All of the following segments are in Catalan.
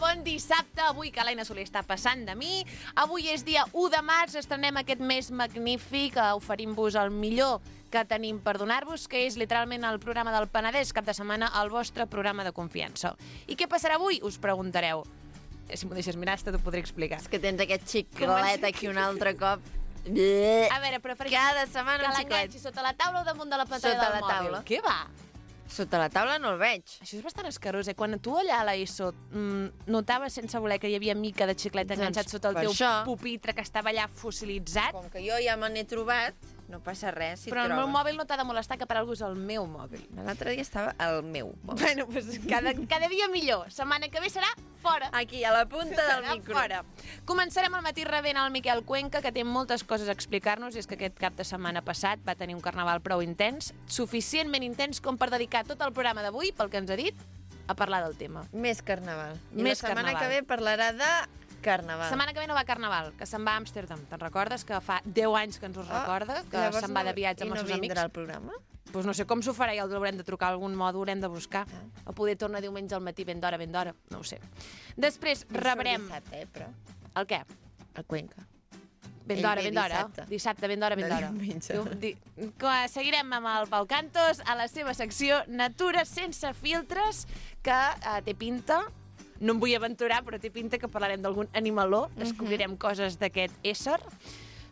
bon dissabte. Avui que l'Aina Soler està passant de mi. Avui és dia 1 de març, estrenem aquest mes magnífic, oferim-vos el millor que tenim per donar-vos, que és literalment el programa del Penedès, cap de setmana, el vostre programa de confiança. I què passarà avui? Us preguntareu. Si m'ho deixes mirar, t'ho podré explicar. És que tens aquest xiclet aquí un altre cop. A veure, però per cada setmana un xiclet. Que l'enganxi sota la taula o damunt de la pantalla del mòbil? Què va? Sota la taula no el veig. Això és bastant escarós, eh? Quan tu allà a l'ESO notaves sense voler que hi havia mica de xiclet enganxat sota el teu pupitre que estava allà fossilitzat. Com que jo ja me n'he trobat, no passa res si però el meu mòbil no t'ha de molestar, que per algú és el meu mòbil. L'altre dia estava el meu mòbil. Bueno, doncs cada dia millor. Setmana que ve serà fora. Aquí, a la punta del micro. Fora. Començarem al matí rebent el Miquel Cuenca, que té moltes coses a explicar-nos, i és que aquest cap de setmana passat va tenir un carnaval prou intens, suficientment intens com per dedicar tot el programa d'avui, pel que ens ha dit, a parlar del tema. Més carnaval. I Més la setmana carnaval. que ve parlarà de carnaval. Setmana que ve no va a carnaval, que se'n va a Amsterdam. Te'n recordes? Que fa 10 anys que ens ho recorda, que se'n va de viatge amb els seus amics. I no vindrà al programa? Doncs no sé com s'ho farà, ja l'haurem de trucar a algun mòdul, haurem de buscar. O poder tornar diumenge al matí ben d'hora, no ho sé. Després rebrem... Dissabte, però. El què? El Cuenca. Ben d'hora. Dissabte, ben d'hora. Seguirem amb el Pau Cantos a la seva secció Natura sense filtres, que té pinta... No em vull aventurar, però té pinta que parlarem d'algun animaló, descobrirem coses d'aquest ésser.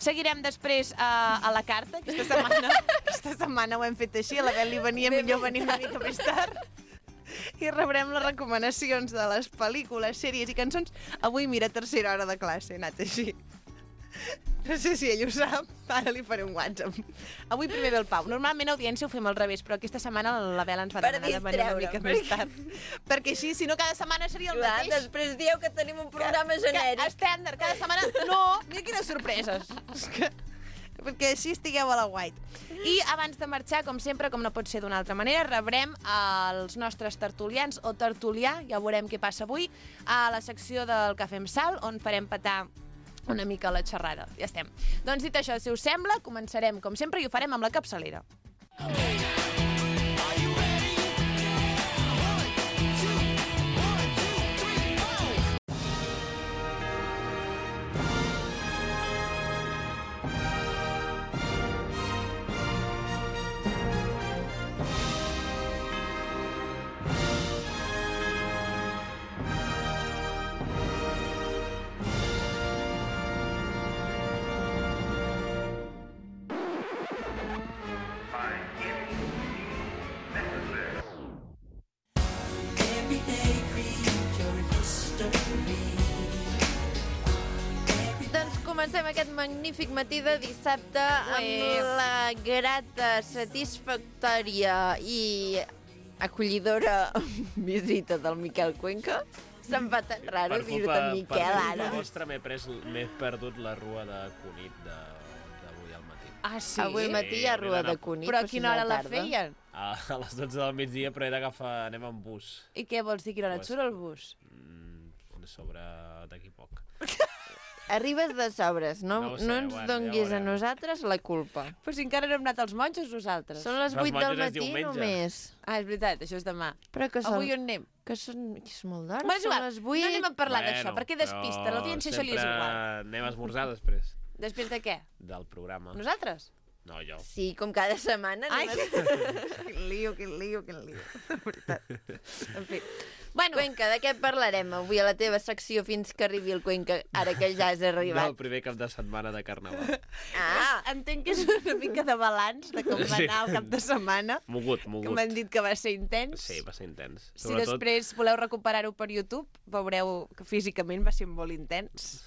Seguirem després a la carta, aquesta setmana ho hem fet així, a la Bel li venia millor venir una mica més tard. I rebrem les recomanacions de les pel·lícules, sèries i cançons. Avui, mira, tercera hora de classe, he anat així. No sé si ell ho sap, ara li faré un WhatsApp. Avui primer ve el Pau. Normalment a Audiència ho fem al revés, però aquesta setmana la Bel ens va demanar de venir una mica més tard. Perquè així, si no, cada setmana seria el mateix. Després dieu que tenim un programa genèric. Estàndard, cada setmana... No, mira quines sorpreses. Perquè així estigueu a la white. I abans de marxar, com sempre, com no pot ser d'una altra manera, rebrem els nostres tertulians o tertulià, ja veurem què passa avui, a la secció del Cafè amb Sal, on farem petar una mica la xerrada. Ja estem. Doncs dit això, si us sembla, començarem com sempre i ho farem amb la capçalera. Comencem aquest magnífic matí de dissabte amb la grata, satisfactòria i acollidora visita del Miquel Cuenca. Se'm fa tan raro dir-te Miquel ara. Per culpa vostra m'he perdut la rua de Cunit d'avui al matí. Ah, sí? Avui al matí hi ha rua de Cunit. Però a quina hora la feien? A les 12 del migdia, però he d'agafar... Anem amb bus. I què vols dir? Quina hora et surt el bus? Sobre d'aquí poc. Arribes de sobres, no ens donguis a nosaltres la culpa. Però si encara no hem anat als monjos nosaltres. Són les 8 del matí només. Ah, és veritat, això és demà. Però que són... Avui on anem? Que són... És molt d'hora, són les 8. No anem a parlar d'això, perquè despista, l'audiència això li és igual. Anem a esmorzar després. Després de què? Del programa. Nosaltres? No, jo. Sí, com cada setmana. Ai, quin lío. De veritat. En fi. Bueno. Cuenca, de què parlarem avui a la teva secció fins que arribi el Cuenca, ara que ja has arribat? Del primer cap de setmana de Carnaval. Entenc que és una mica de balanç de com va anar el cap de setmana. Mogut. Que m'han dit que va ser intens. Sí, va ser intens. Si després voleu recuperar-ho per YouTube, veureu que físicament va ser molt intens.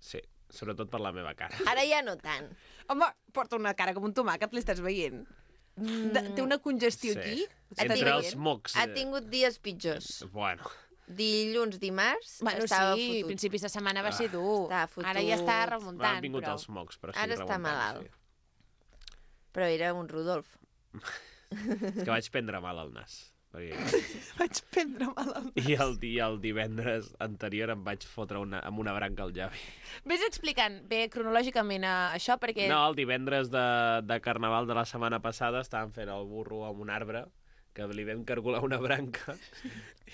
Sí, sobretot per la meva cara. Ara ja no tant. Home, porta una cara com un tomàquet, l'estàs veient. Té una congestió aquí. Entre els mocs. Ha tingut dies pitjors. Bueno. Dilluns, dimarts, estava fotut. Sí, principis de setmana va ser dur. Ara ja està remuntant. M'han vingut els mocs, però estic remuntant. Ara està malalt. Però era un Rodolf. És que vaig prendre mal al nas. Vaig prendre mal al nas. I el divendres anterior em vaig fotre amb una branca al llavi. Ves explicant bé cronològicament això, perquè... No, el divendres de Carnaval de la setmana passada estàvem fent el burro amb un arbre que li vam cargolar una branca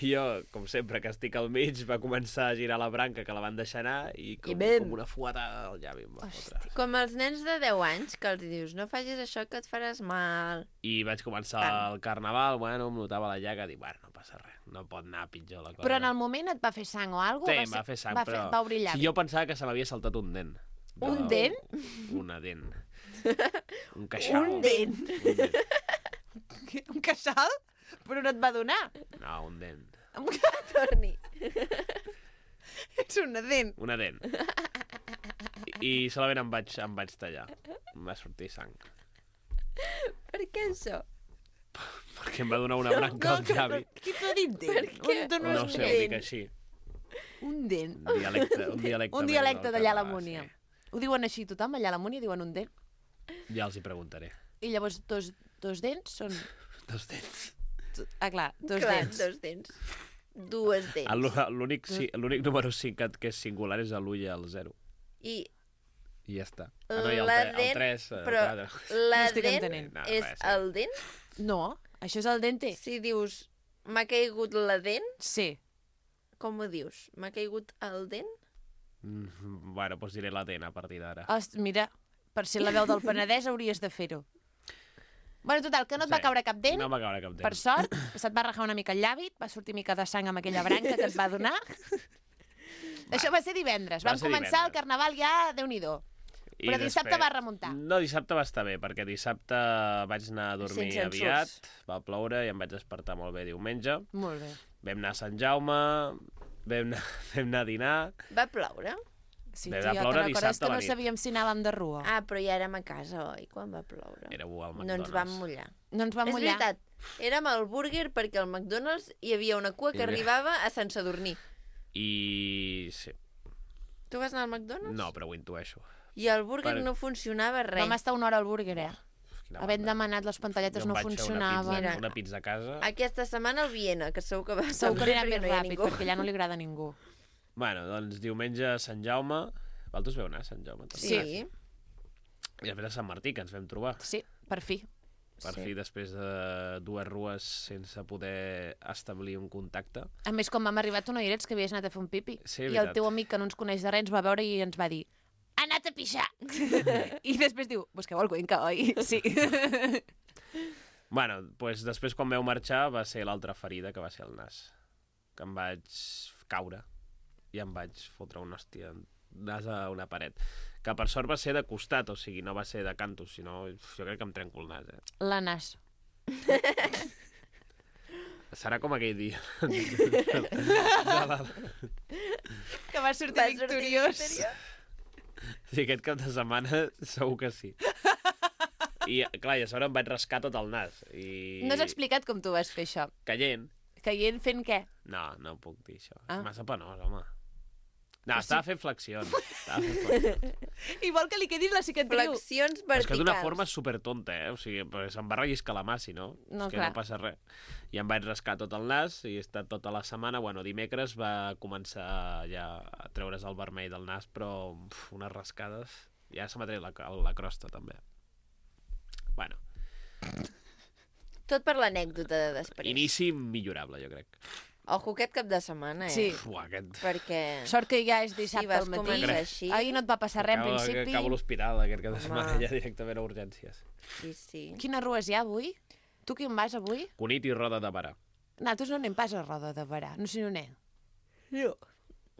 i jo, com sempre, que estic al mig, va començar a girar la branca que la van deixar anar i com una fuetada al llavi em va fotre. Com els nens de 10 anys que els dius no facis això que et faràs mal. I vaig començar el carnaval, bueno, em notava la llaga, dic, bueno, no passa res, no pot anar pitjor la cosa. Però en el moment et va fer sang o alguna cosa? Sí, em va fer sang, però... Va obrir llavi. Sí, jo pensava que se m'havia saltat un dent. Un dent? Una dent. Un queixal. Un dent? Un queixal? Però no et va donar? No, un dent. Torni. Ets una dent. Una dent. I solament em vaig tallar. Em va sortir sang. Per què això? Perquè em va donar una branca al llavi. Qui t'ha dit dent? No sé, ho dic així. Un dent. Un dialecte d'allà a la Múnia. Ho diuen així tothom, allà a la Múnia diuen un dent. Ja els hi preguntaré. I llavors dos dents són... Dos dents. Clar, dos dents. Dues dents. L'únic número 5 que és singular és l'1 i el 0. I ja està. No, i el 3... Però la dent és el dent? No, això és el dente. Si dius, m'ha caigut la dent? Sí. Com ho dius? M'ha caigut el dent? Bueno, doncs diré la dent a partir d'ara. Mira, per ser la veu del Penedès hauries de fer-ho. Bueno, total, que no et va caure cap dent. No va caure cap dent. Per sort, se't va rajar una mica el llavi, va sortir mica de sang amb aquella branca que et va donar. Això va ser divendres. Vam començar el carnaval ja, Déu-n'hi-do. Però dissabte va remuntar. No, dissabte va estar bé, perquè dissabte vaig anar a dormir aviat, va ploure i em vaig despertar molt bé diumenge. Molt bé. Vam anar a Sant Jaume, vam anar a dinar. Va ploure? Sí, tia, te'n recordes que no sabíem si anàvem de rua? Ah, però ja érem a casa, oi, quan va ploure? Éreu al McDonald's. No ens vam mullar. No ens vam mullar. És veritat, érem al Burger perquè al McDonald's hi havia una cua que arribava a Sant Sadurní. I... sí. Tu vas anar al McDonald's? No, però ho intueixo. I el Burger no funcionava res. Vam estar una hora al Burger, Havent demanat les pantalletes no funcionaven. Una pizza a casa. Aquesta setmana al Viena, que segur que va estar bé perquè no hi ha ningú. Perquè allà no li agrada a ningú. Bueno, doncs diumenge a Sant Jaume. Vosaltres veu anar a Sant Jaume? Sí. I després a Sant Martí, que ens vam trobar. Sí, per fi. Per fi, després de 2 rues sense poder establir un contacte. A més, quan vam arribar, tu no hi eres, que havies anat a fer un pipi. Sí, i el teu amic, que no ens coneix de res, ens va veure i ens va dir: ha anat a pixar! I després diu: busqueu el Cuenca, oi? Sí. Bueno, doncs després quan vau marxar va ser l'altra ferida, que va ser el nas. Que em vaig caure i em vaig fotre una hòstia nas a una paret. Que per sort va ser de costat, o sigui, no va ser de cantos, sinó jo crec que em trenco el nas, La nas. Serà com aquell dia. Que va sortir victoriós. Sí, aquest cap de setmana segur que sí. I, clar, i a sobre em vaig rascar tot el nas. No has explicat com tu vas fer això. Caient. Caient fent què? No, no puc dir això. És massa penós, home. No, estava fent flexions. Igual que li quedis la cicatriu. Flexions verticals. És que d'una forma supertonta, O sigui, se'm va relliscar la mà, si no. No, és que no passa res. I em vaig rascar tot el nas i he estat tota la setmana. Bueno, dimecres va començar ja a treure's el vermell del nas, però unes rascades. Ja se m'ha tret la crosta, també. Bueno. Tot per l'anècdota de després. Inici millorable, jo crec. Ojo, aquest cap de setmana, Sí. Perquè... Sort que ja és dissabte al matí. Així. Ahir no et va passar res, en principi. Acabo a l'hospital aquest cap de setmana, ja directament a urgències. Sí. Quines rues hi ha avui? Tu qui en vas avui? Cunit i Roda de Barà. Nosaltres no anem pas a Roda de Barà. No sé on anem. No.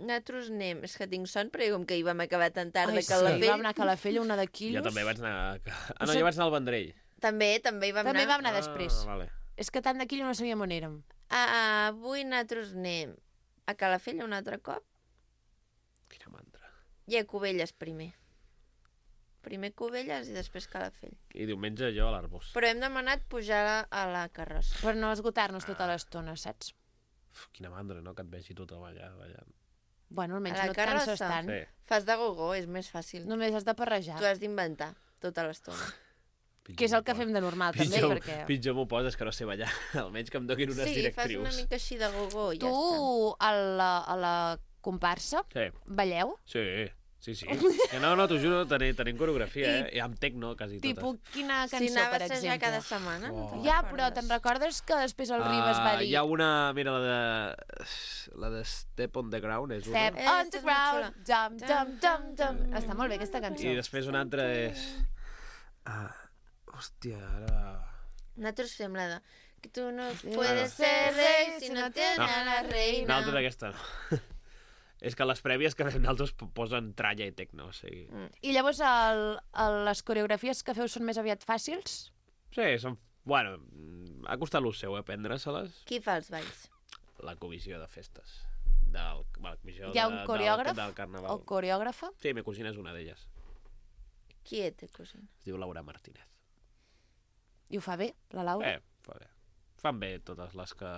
Nosaltres anem. És que tinc son, però com que hi vam acabar tan tard de Calafell. Sí, vam anar a Calafell, una de quilos. Jo també vaig anar... Ah, no, jo vaig anar al Vendrell. També hi vam anar. També vam anar després. Vale. És que tant de quilo no sabíem on érem. Avui nosaltres anem a Calafell un altre cop. Quina mantra. I a Cubelles primer. Primer Cubelles i després Calafell. I diumenge jo a l'Arbós. Però hem demanat pujar a la carrossa. Per no esgotar-nos tota l'estona, saps? Quina mandra, no? Que et vegi tothom allà ballant. Bueno, almenys a la no et carrossa, canses tant. Sí. Fas de gogó, és més fàcil. Només has de parrejar. Tu has d'inventar tota l'estona. Que és el que fem de normal, també, perquè... Pitjor m'ho poses que no sé ballar. Almenys que em donin unes directrius. Sí, fas una mica així de gogó i ja està. Tu, a la comparsa, sí. balleu? Sí. Sí. Que no, t'ho juro, tenim coreografia, I amb tecno, quasi totes. Tipus, quina cançó, Si per anaves a exemple? assajar cada setmana, no te'n Ja, recordes? però te'n recordes que després el Ribas va dir... Hi ha una, mira, la de Step on the Ground és una. Step on the ground, dum, dum, dum, dum. Està molt bé, aquesta cançó. I després una altra és... Hòstia, ara... Nosaltres fem la de... Que tu no puedes ser rei si no tienes a la reina. Una altra d'aquesta no. És que les prèvies que fem nosaltres posen tralla i tecno, o sigui... I llavors les coreografies que feu són més aviat fàcils? Sí, són... Bueno, ha costat lo seu, aprendre-se-les. Qui fa els balls? La comissió de festes. La comissió Hi ha un coreògraf del carnaval. o coreògrafa? Sí, ma cosina és una d'elles. Qui és, cosina? Es diu Laura Martínez. I ho fa bé, la Laura? Fa bé. Fan bé totes les que...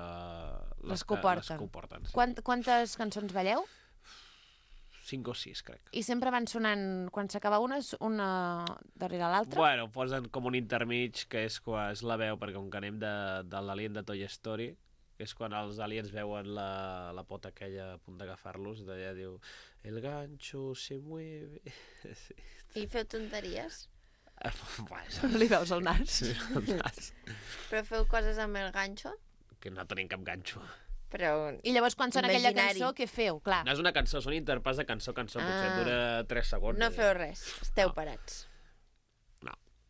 Les que ho porten. Les que ho porten, sí. Quantes cançons balleu? 5 o 6, crec. I sempre van sonant, quan s'acaba una darrere l'altra? Bueno, posen com un intermig, que és quan és la veu, perquè com que anem de l'alien de Toy Story, que és quan els aliens veuen la pota aquella a punt d'agafar-los, d'allà diu el gancho se mueve... Sí. I feu tonteries? Li veus el nas? Sí, el nas. Però feu coses amb el ganxo? Que no tenim cap ganxo. Però... I llavors quan sona aquella Imaginari. cançó, què feu? Clar. No és una cançó, són interpàs de cançó a cançó, potser dura 3 segons. No feu res, esteu parats.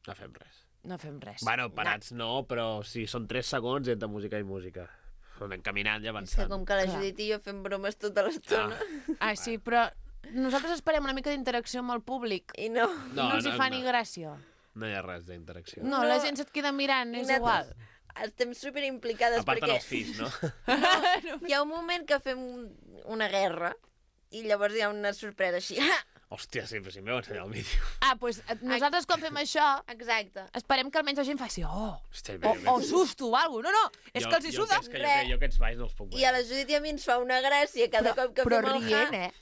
No fem res. No fem res. Bueno, parats no, però sí, són 3 segons entre música i música. Anem caminant i És que avançant. com que la Judit i jo fem bromes tota l'estona Sí, però nosaltres esperem una mica d'interacció amb el públic. i no. No els hi fa ni gràcia. No hi ha res d'interacció. No, la gent se't queda mirant, és igual. Estem superimplicades A part perquè dels fills, no? hi ha un moment que fem una guerra i llavors hi ha una sorpresa així. Hòstia, sí, però si m'heu ensenyat el vídeo. Doncs nosaltres quan fem això Exacte. esperem que almenys la gent faci Hòstia, o susto o alguna cosa. No, és que els hi suda. Jo aquests balls no els puc I a la Judit i a mi ens fa una gràcia cada cop que Però fem el rient,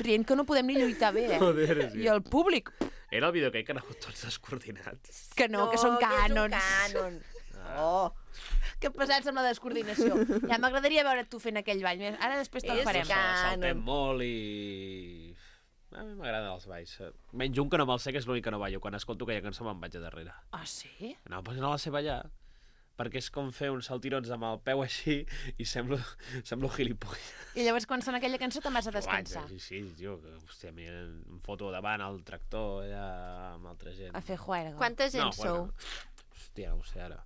Rient que no podem ni lluitar bé, Joder, sí. I el públic, Era el vídeo aquell que anàveu tots descoordinats. que no, que són cànons. Que és un cànon. Que pesats amb la descoordinació. Ja m'agradaria veure tu fent aquell ball. Ara després te'l És farem. Saltem molt i... A mi m'agraden els balls. Menys un que no me'l sé, que és l'únic que no ballo. Quan escolto aquella cançó me'n vaig a darrere. Ah, sí? No, però no la sé ballar. Perquè és com fer uns saltirons amb el peu així i semblo gilipolles. I llavors quan sona aquella cançó te'n vas a descansar. Sí, tio, que, hòstia, em foto davant el tractor allà amb altra gent. A fer juerga. Quanta gent sou? Hòstia, no ho sé ara.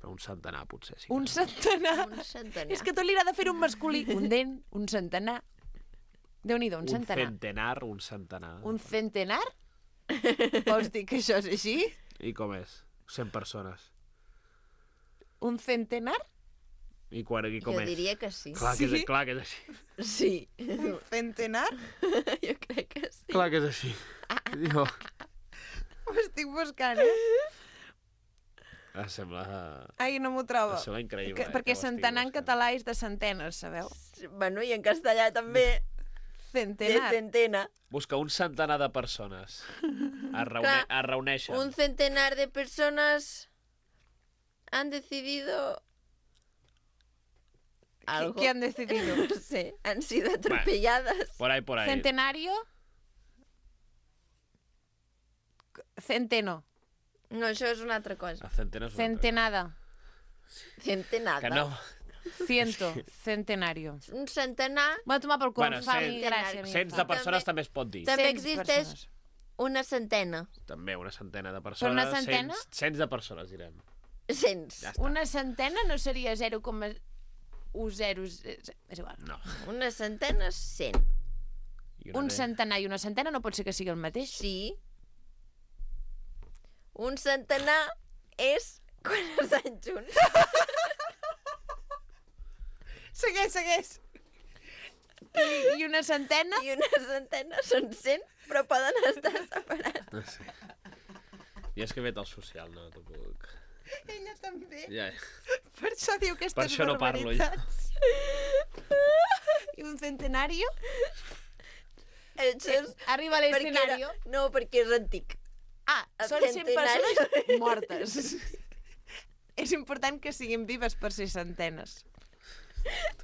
Però un centenar, potser, sí. Un centenar? Un centenar. És que tot li agrada fer un masculí. Un dent, un centenar. Déu-n'hi-do, un centenar. Un centenar. Un centenar? Vols dir que això és així? I com és? 100 persones. Un centenar? I com Jo és? diria que sí. Clar que és així. Sí. Un centenar? Jo crec que sí. Clar que és així. Jo... Ho estic buscant, Sembla... Ai, no m'ho trobo. Sembla increïble. Perquè centenar en català és de centenes, sabeu? Bueno, i en castellà també. De Centenar. centena. Busca un centenar de persones. Es reuneixen. Un centenar de personas han decidido algo. ¿Qué han decidido? No sé, han sido atropelladas. Por ahí. Centenario. Centeno. No, això és una altra cosa. A centenes. Centenada. Centenada. Que no. Ciento. Centenario. Un centenar. Va tomar pel cul, Bueno, fa mi gràcia. Cents de persones també es pot dir. També Cents existeix persones. una centena. També una centena de persones. Però una centena? Cents de persones, direm. Cents. Ja està. Una centena no seria 0,10... És igual. No. Una centena és 100. I Un centenar i una centena no pot ser que sigui el mateix. Sí. Un centenar és quan estan junts. Segueix. I una centena? I una centena són 100, però poden estar separats. No sé. I és que vet el social, no t'ho puc... Ella també. Ja. Per això diu Per aquestes això no parlo, jo. I un centenario? Això és... Arriba a l'escenario. No, perquè és antic. Són 100 centenario. persones mortes. És important que siguin vives per ser centenes.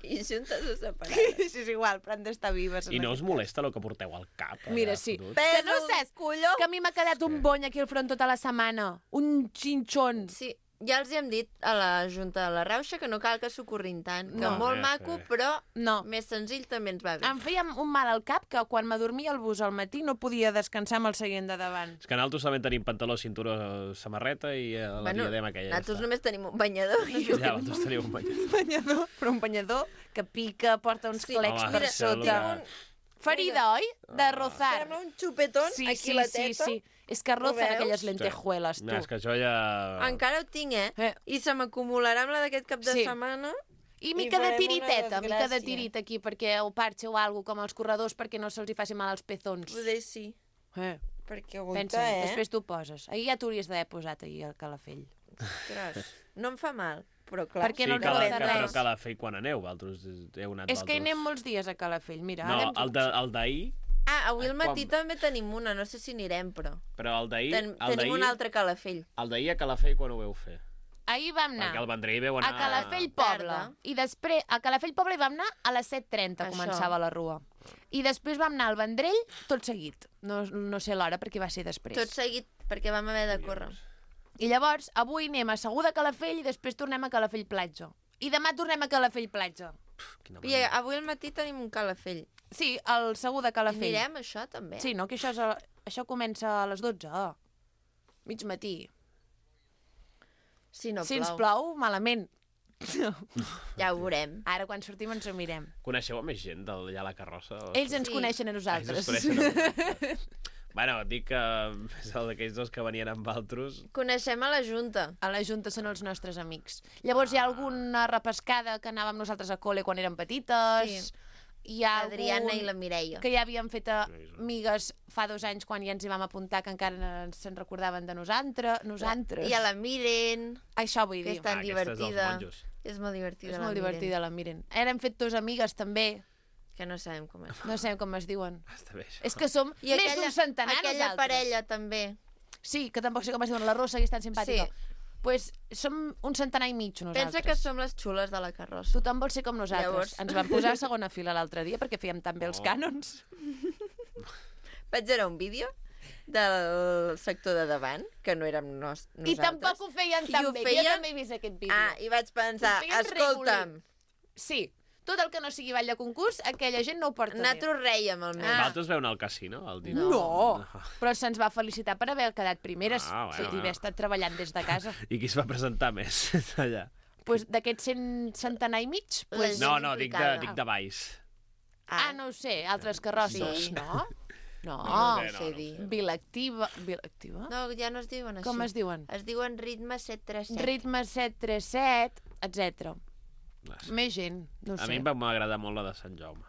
I juntes o separades? Sí, és igual, però han d'estar vives. I no us molesta el que porteu al cap? Mira, sí. Que no saps colló. que a mi m'ha quedat un bony aquí al front tota la setmana. Un xinxon. Sí, ja els hi hem dit a la Junta de la Rauxa que no cal que s'ocorrin tant, que No. molt maco, però No. més senzill també ens va bé. Em feia un mal al cap que quan m'adormia al bus al matí no podia descansar amb el seient de davant. És que nosaltres també tenim pantaló, cinturó, samarreta i la diadema aquella. Nosaltres només tenim un banyador. Ja, vosaltres teniu un banyador. Un banyador, però un banyador que pica, porta uns clecs home, per mira, sota. Ferida, oi? De rozar. Sembla un xupetón aquí a la teta. Sí. És que rozan veus? aquelles lentejueles, tu. No, és que això ja... Encara ho tinc, I se m'acumularà amb la d'aquest cap de setmana. I mica de farem una tiriteta, mica de desgràcia. tirit aquí, perquè el parche o alguna com els corredors, perquè no se'ls hi faci mal als pezons. Poder sí. Perquè aguanta, Pensa, després t'ho poses. Ahir ja t'hauries d'haver posat ahir el calafell. Ostres, no em fa mal, però clar. Perquè Sí, no et però roza res. Calafell quan aneu, vosaltres heu anat És que hi anem molts dies a Calafell, mira. No, ara el d'ahir... Avui al matí també tenim una, no sé si anirem, però... Però el d'ahir... Tenim un altre Calafell. El d'ahir a Calafell quan ho veu fer? Ahir vam anar Perquè el Vendrell veu anar... a Calafell Poble. Tarda. I després, a Calafell Poble hi vam anar a les 7:30, Això. començava la rua. I després vam anar al Vendrell tot seguit. No sé l'hora, perquè va ser després. Tot seguit, perquè vam haver de córrer. I llavors, avui anem a Segur de Calafell i després tornem a Calafell Platja. I demà tornem a Calafell Platja. I avui al matí tenim un Calafell. Sí, al Segur de Calafell. Anirem, això, també? Sí, no? Que això comença a les 12. Mig matí. Si no Si plou. ens plou, malament. Ja ho veurem. Ara, quan sortim, ens ho mirem. Coneixeu a més gent d'allà a la carrossa? Ells ens Sí. coneixen a Ells nosaltres. us coneixen a vosaltres. Bueno, dic que és el d'aquells dos que venien amb altres. Coneixem a la Junta. A la Junta són els nostres amics. Llavors hi ha alguna repescada que anàvem nosaltres a col·le quan érem petites. Sí. Hi ha L'Adriana algun i la Mireia. que ja havíem fet amigues fa 2 anys quan ja ens hi vam apuntar, que encara se'n recordaven de nosaltres. I a la Miren, Això vull que dir. és tan Aquesta és dels divertida. monjos. És molt divertida, És la molt Miren. divertida, la Miren. Ara hem fet 2 amigues, també. Que no sabem com és. No sabem com es diuen. Està bé, això. És que som més d'un centenar, aquella nosaltres. parella, també. Sí, que tampoc sé com es diuen. La Rosa, que és tan simpàtica. Sí. Pues som un centenar i mig, nosaltres. Pensa que som les xules de la carrossa. Tothom vol ser com nosaltres. Llavors. Ens vam posar a segona fila l'altre dia perquè fèiem tan bé els cànons. Vaig veure un vídeo del sector de davant, que no érem nosaltres. I tampoc ho feien tan ho bé. feien- Jo també he vist aquest vídeo. I vaig pensar, Ho feien escolta'm, Sí, tot el que no sigui ball de concurs, aquella gent no ho porta bé. nosaltres rèiem almenys. Vosaltres veu anar al casino el dia? No, però se'ns va felicitar per haver quedat primeres bueno, i haver estat treballant des de casa. I qui es va presentar més allà? Pues d'aquests centenar i mig, pues... La- No, dic implicada. de baix. no ho sé, altres carrosses, Sí. no? No, No sé, sé dir. Vilactiva. Vilactiva? No, ja no es diuen així. Com es diuen? Es diuen ritme 737. Ritme 737, etc. Més gent, no ho A sé. mi em va m'agradar molt la de Sant Jaume.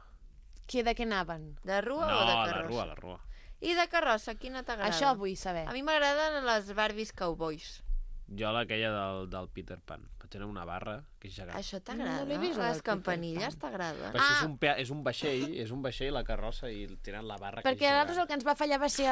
De què anaven? De rua No, o de la carrossa? rua, la rua. I de carrossa, quina t'agrada? Això vull saber. A mi m'agraden les Barbies Cowboys. Jo aquella del Peter Pan. Vaig anar a una barra, que és gegant. Això t'agrada? No l'he vist, la Les del Peter campanilles Pan. t'agraden? Però si és un vaixell, la carrossa, i tenen la barra que és Perquè a nosaltres el gegant. que ens va fallar va ser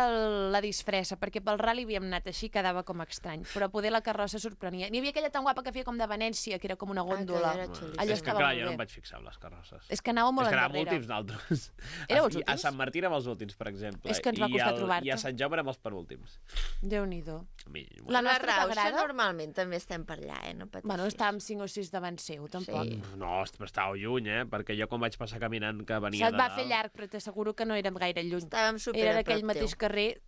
la disfressa, perquè pel rally havíem anat així, quedava com estrany, però poder la carrossa sorprenia. N'hi havia aquella tan guapa que feia com de Venècia, que era com una góndola. aquella era xulíssima. Allò És que estava clar, molt jo no bé. em vaig fixar en les carrosses. És que anàveu molt És que anàvem endarrere. últims nosaltres. Éreu els A últims? Sant Martí érem els últims, per exemple. És que ens va costar trobar-te. I a Sant Jaume érem els penúltims. Déu-n'hi-do. A mi, La La nostra Rauxa t'agrada? normalment també estem per allà, no pateixis. Bueno, estàvem 5 o 6 davant seu, tampoc. Sí. No, però estàveu lluny, perquè jo quan vaig passar caminant que venia Se't va de fer dalt... llarg, però t'asseguro que no érem gaire lluny. Estàvem super Era a d'aquell prop mateix teu. carrer,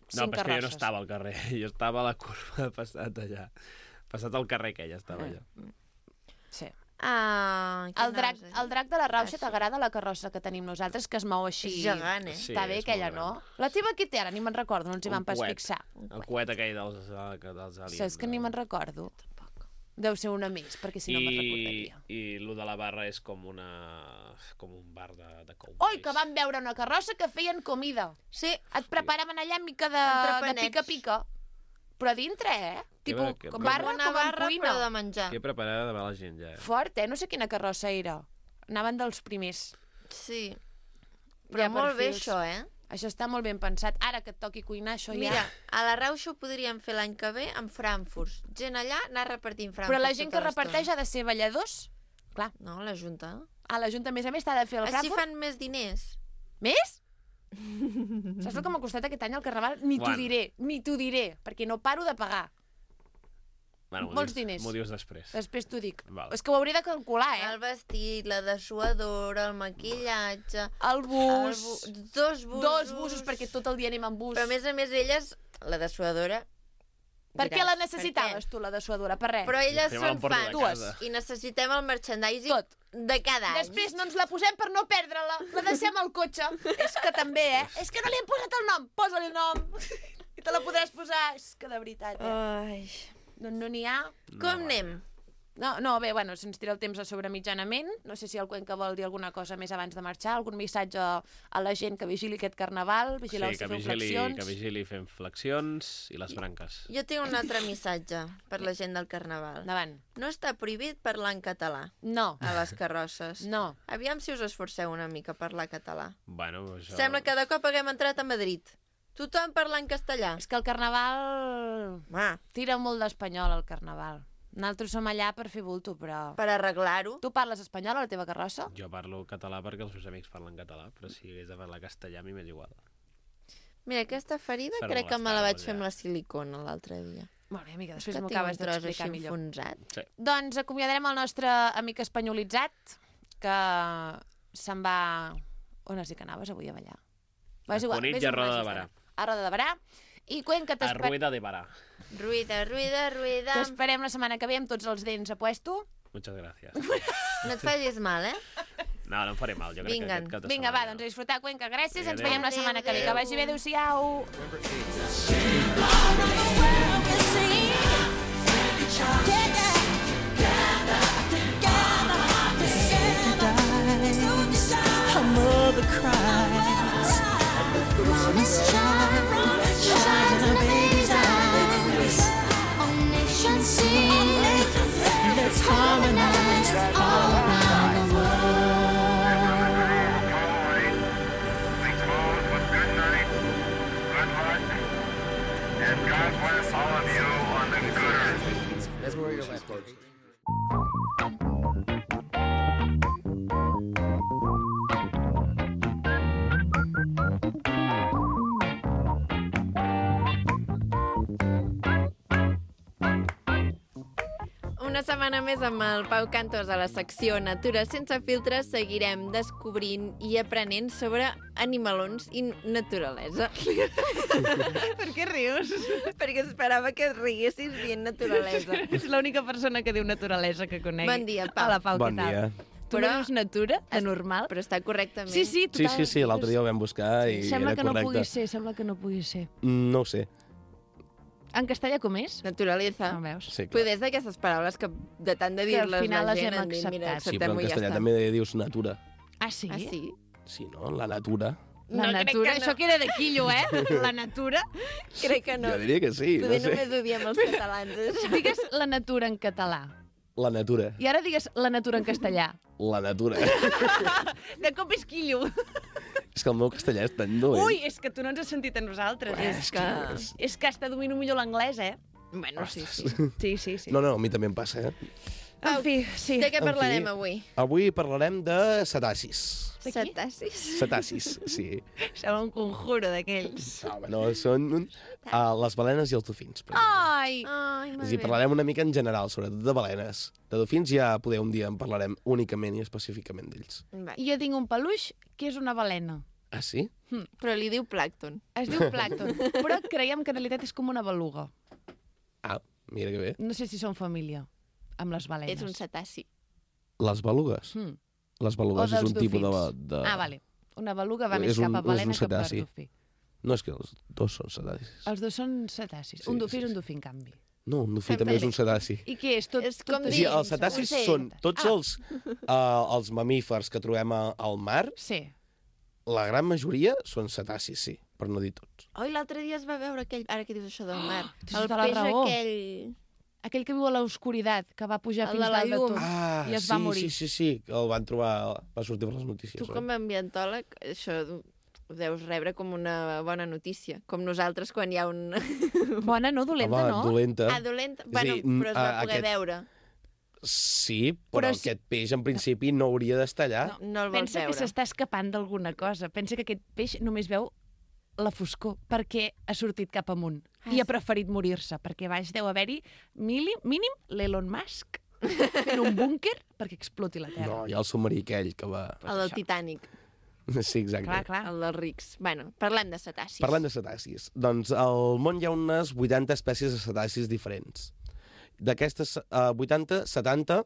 5 No, però és que jo no carrosses. estava al carrer, jo estava a la curva passat allà. Passat el carrer que ella estava allà. Sí. Ah, El drac de la Rauxa sí. t'agrada la carrossa que tenim nosaltres, que es mou així? És gegant, Sí, Està bé és aquella, molt no? La teva qui té ara? Ni me'n recordo, no ens hi Un vam pas coet. fixar. El coet aquell dels aliens. Saps que ni me'n recordo? Deu ser una més, perquè si no me'n recordaria. I lo de la barra és com un bar de cowboys. Oi, que vam veure una carrossa que feien comida. Sí, Et preparaven allà mica de Entrepanets. pica-pica. Però a dintre, Tipo, Que com va- barra una com en barra cuina. però de menjar. Que preparada de la gent, ja. Fort, No sé quina carrossa era. Anaven dels primers. Sí. Hi Però ha molt bé perfils. això, Això està molt ben pensat. Ara que et toqui cuinar, això Mira, ja... a la Rauxa ho podríem fer l'any que ve amb Frankfurts. Gent allà anar repartint Frankfurts. Però la gent que tota l'estona. reparteix ha de ser balladors? Clar. No, la Junta. La Junta, a més, t'ha de fer el Així Frankfurt. fan més diners. Més? Saps el que m'ha costat aquest any el Carnaval? Ni t'ho diré, perquè no paro de pagar. Bueno, molts diners. M'ho dius després. Després t'ho dic. Val. És que ho hauré de calcular, El vestit, la dessuadora, el maquillatge... El bus... Dos busos. Dos busos, perquè tot el dia anem amb bus. Però a més, elles, la dessuadora... Per què la necessitaves, tu, la dessuadora? Per res. Però elles són fans. Dues. I necessitem el merchandising de cada any. Després no ens la posem per no perdre-la. La deixem al cotxe. És que també, És que no li hem posat el nom. Posa-li el nom. I te la podràs posar. És que de veritat, Ai. No n'hi ha. Com anem? No, bé, bueno, se'ns tira el temps a sobre mitjanament. No sé si el Cuenca vol dir alguna cosa més abans de marxar, algun missatge a la gent que vigili aquest Carnaval, vigileu si feu flexions. Que vigili fem flexions i les branques. Jo tinc un altre missatge per la gent del Carnaval. Endavant. No està prohibit parlar en català. No. A les carrosses. No. Aviam si us esforceu una mica a parlar català. Bueno, això... Sembla que de cop haguem entrat a Madrid. Tothom parla en castellà. És que el Carnaval... Tira molt d'espanyol, el Carnaval. Nosaltres som allà per fer bulto, però... Per arreglar-ho. Tu parles espanyol a la teva carrossa? Jo parlo català perquè els meus amics parlen català, però si hagués de parlar castellà a mi m'és igual. Mira, aquesta ferida crec que me la vaig fer amb la silicona l'altre dia. Molt bé, amiga, després m'ho acabes d'explicar millor. Sí. Doncs acomiadarem el nostre amic espanyolitzat, que se'n va... On has dit que anaves avui a ballar? A Cunit i a Roda de Barà. A Roda de Barà. I Cuenca A Rueda de Barà. Ruida. T'esperem la setmana que ve amb tots els dents a puesto. Muchas gracias. No et facis mal, No, no em faré mal, jo crec que aquest cap de setmana... Vinga, va, doncs a disfrutar, Cuenca. Gràcies, ens veiem la setmana que ve. Que vagi bé, adéu-siau. Shine in a baby's eyes. All nations sing. Let's harmonize all around the world. Please close with good night, good luck, and God bless all of you on the good earth. That's where your left goes. Una setmana més amb el Pau Cantos a la secció Natura sense filtres seguirem descobrint i aprenent sobre animalons i naturalesa. Per què rius? Perquè esperava que et riguessis dient naturalesa. Ets l'única persona que diu naturalesa que conegui. Bon dia, Pau. Hola, Pau, Bon què tal? dia. Tu no dius natura, de normal? Però està correctament. Sí, total. Sí, l'altre dia ho vam buscar i Sembla era que no correcte. pugui ser, sembla que no pugui ser. No ho sé. En castellà com és? Naturalesa. No veus? Sí, clar. Poder és d'aquestes paraules que de tant de Que al dir-les final la les gent hem han dit, mira, acceptat. Sí, però acceptem-ho en i ja castellà està. també dius natura. Ah, sí? Ah, sí? Sí, no? La natura. La No, crec natura, que no. això queda de quillo, La natura. Crec que no. Jo diria que sí, Poder no sé. només ho diem els catalans. això. Digues la natura en català. La natura. I ara digues la natura en castellà. La natura. De cop és quillo. És que el meu castellà és tan dolent. Ui, és que tu no ens has sentit a nosaltres. És que hasta domino millor l'anglès, Bueno, sí. Sí. No, a mi també em passa, En fi, sí. De què En fi. parlarem avui? Avui parlarem de cetacis. De qui? Cetacis? Cetacis, sí. Sembla un conjuro d'aquells. No, són les balenes i els dofins. per exemple. Ai! Ai, És a dir, parlarem una mica en general, sobretot de balenes. De dofins ja poder un dia en parlarem únicament i específicament d'ells. I jo tinc un peluix que és una balena. Ah, sí? Però li diu plàcton. Es diu plàcton, però creiem que en realitat és com una beluga. Ah, mira que bé. No sé si són família amb les balenes. És un cetaci. Les belugues? Les belugues O és dels un tipus dofins. de... Ah, vale. Una beluga va més És un- cap a balena és un que per cetaci. dofí. No, és que els dos són cetacis. Els dos són cetacis. Sí, Un dofí sí, és un sí. dofí, en canvi. No, un dofí Sempre també és bé. un cetaci. I què és? Tot, És com O dir- sigui, els cetacis ocell. són tots els mamífers que trobem al mar, Sí. la gran majoria són cetacis, sí, per no dir tots. Oi, l'altre dia es va veure aquell... Ara que dius això del mar. tens El tota la peix raó. aquell... Aquell que viu a l'oscuritat, que va pujar El fins de la dalt de llum. tot. Ah, I es sí, va morir. sí, que el van trobar, va sortir per les notícies. Tu com a ambientòleg, això ho deus rebre com una bona notícia. Com nosaltres quan hi ha un... Bona, no? Dolenta, Home, no? dolenta. Ah, dolenta? a Bueno, dir, però es va poder aquest- veure. Sí, però si- aquest peix en principi no hauria d'estar allà. No el vols Pensa que veure. s'està escapant d'alguna cosa. Pensa que aquest peix només veu la foscor perquè ha sortit cap amunt i ha preferit morir-se, perquè baix deu haver-hi mínim l'Elon Musk fent un búnquer perquè exploti la Terra. No, hi ha el submarí aquell que va... El del Titanic, Sí, exacte. Clar. el dels rics. Bueno, parlem de cetacis. Parlant de cetacis, doncs al món hi ha unes 80 espècies de cetacis diferents. D'aquestes 80, 70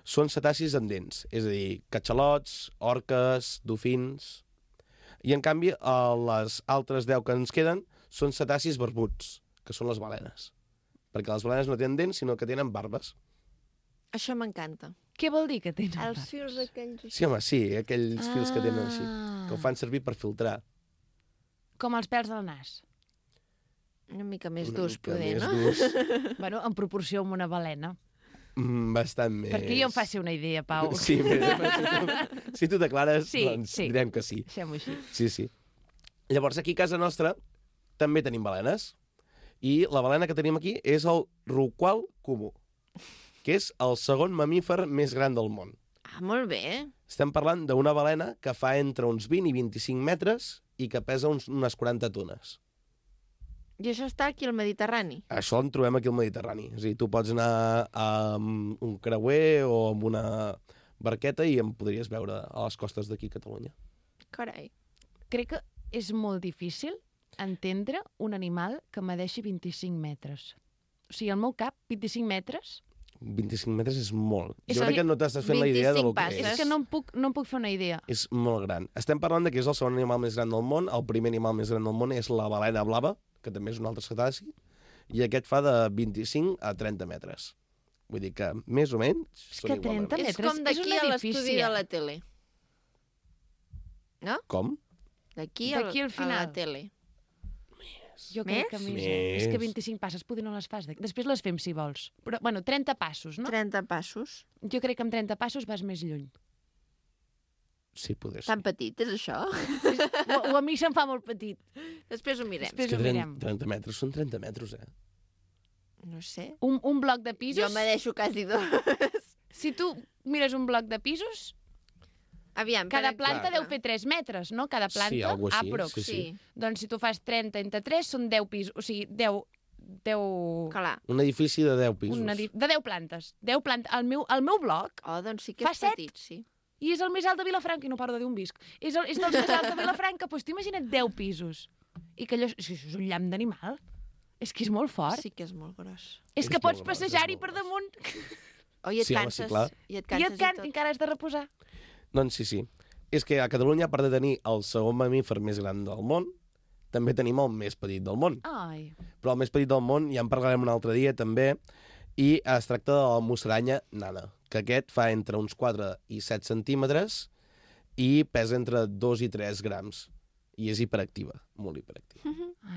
són cetacis amb dents, és a dir, catxalots, orques, dofins... I, en canvi, les altres 10 que ens queden són cetacis barbuts, que són les balenes. Perquè les balenes no tenen dents, sinó que tenen barbes. Això m'encanta. Què vol dir que tens? Els fils aquells... Sí, home, sí, aquells fils que tenen així, que ho fan servir per filtrar. Com els pèls del nas. Una mica més Una durs, mica poder, més no? durs. Bueno, en proporció amb una balena. Bastant més... Perquè jo em faci una idea, Pau. Sí, si tu declares, Sí, doncs sí. direm que sí. Deixem-ho així. Sí. Llavors, aquí a casa nostra també tenim balenes. I la balena que tenim aquí és el rorqual comú, que és el segon mamífer més gran del món. Ah, molt bé. Estem parlant d'una balena que fa entre uns 20 i 25 metres i que pesa unes 40 tones. I això està aquí al Mediterrani. Això en trobem aquí al Mediterrani. És a dir, tu pots anar amb un creuer o amb una barqueta i em podries veure a les costes d'aquí a Catalunya. Carai. Crec que és molt difícil entendre un animal que medeixi 25 metres. O sigui, al meu cap, 25 metres... 25 metres és molt. És Jo crec que que no t'estàs fent la idea de lo que 25 és. És que no em puc fer una idea. És molt gran. Estem parlant de que és el segon animal més gran del món. El primer animal més gran del món és la balena blava, que també és un altre cetaci, i aquest fa de 25 a 30 metres. Vull dir que, més o menys, És són que 30 igualment. És metres com és d'aquí un a l'estudi edifici, de la tele. No? Com? D'aquí D'aquí al a final. la tele. Jo crec que Més? més. Més. És que 25 passes poder no les fas. Després les fem, si vols. Però, bueno, 30 passos, no? 30 passos. Jo crec que amb 30 passos vas més lluny. Sí, poder ser. Tan petit, és això? O a mi se'm fa molt petit. Després ho mirem. Després És que ho mirem. 30 metres són 30 metres, eh? No sé. Un bloc de pisos... Jo me deixo quasi dos. Si tu mires un bloc de pisos, Aviam. cada per planta exemple. deu fer 3 metres, no? Cada planta, Sí, algo així, aprox. sí, Sí. Doncs si tu fas 30 entre 3, són 10 pisos. O sigui, 10... Clar. Un edifici de 10 pisos. de 10 plantes. 10 plantes. El meu bloc, Oh, doncs sí que Fa és set? petit, sí. i és el més alt de Vilafranca, i no paro de dir un visc. És dels més alts de Vilafranca, doncs t'imagina't 10 pisos. I que allò... Això és un llamp d'animal. És que és molt fort. Sí que és molt gros. És que És pots molt gros, és passejar-hi molt per gros. damunt Oh, i et Sí, home, sí, canses. clar. I et i canses et tot. encara has de reposar. Doncs sí. És que a Catalunya, a part de tenir el segon mamífer més gran del món, també tenim el més petit del món. Ai, Però el més petit del món, ja en parlarem un altre dia també, i es tracta de la musaranya nana, que aquest fa entre uns 4 i 7 centímetres i pesa entre 2 i 3 grams. I és hiperactiva, molt hiperactiva.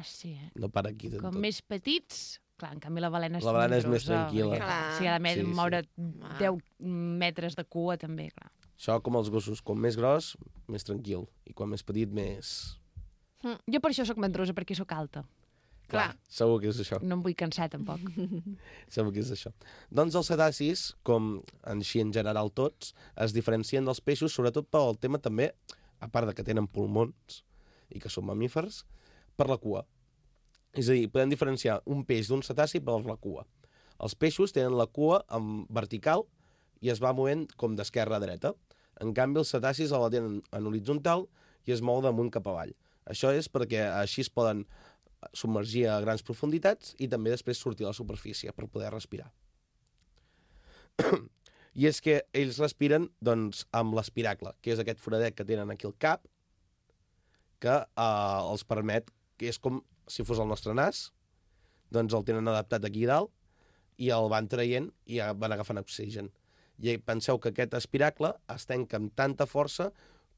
sí, eh? No para aquí de Com tot. més petits... Clar, en canvi la balena és La balena és més monstruosa, tranquil·la. perquè, Clar. Si ha de Sí, sí. moure 10 metres de cua, també, clar. Això com els gossos, com més gros, més tranquil. I quan més petit, més... Jo per això sóc mandrosa, perquè sóc alta. Clar. Segur que és això. No em vull cansar, tampoc. Segur que és això. Doncs els cetacis, com així en general tots, es diferencien dels peixos, sobretot pel tema també, a part de que tenen pulmons i que són mamífers, per la cua. És a dir, podem diferenciar un peix d'un cetaci per la cua. Els peixos tenen la cua en vertical i es va movent com d'esquerra a dreta. En canvi, els cetacis la tenen en horitzontal i es mou d'amunt cap avall. Això és perquè així es poden submergir a grans profunditats i també després sortir a la superfície per poder respirar. I és que ells respiren doncs, amb l'espiracle, que és aquest foradet que tenen aquí al cap, que els permet, que és com si fos el nostre nas, doncs el tenen adaptat aquí dalt i el van traient i van agafant oxigen. I penseu que aquest espiracle es tanca amb tanta força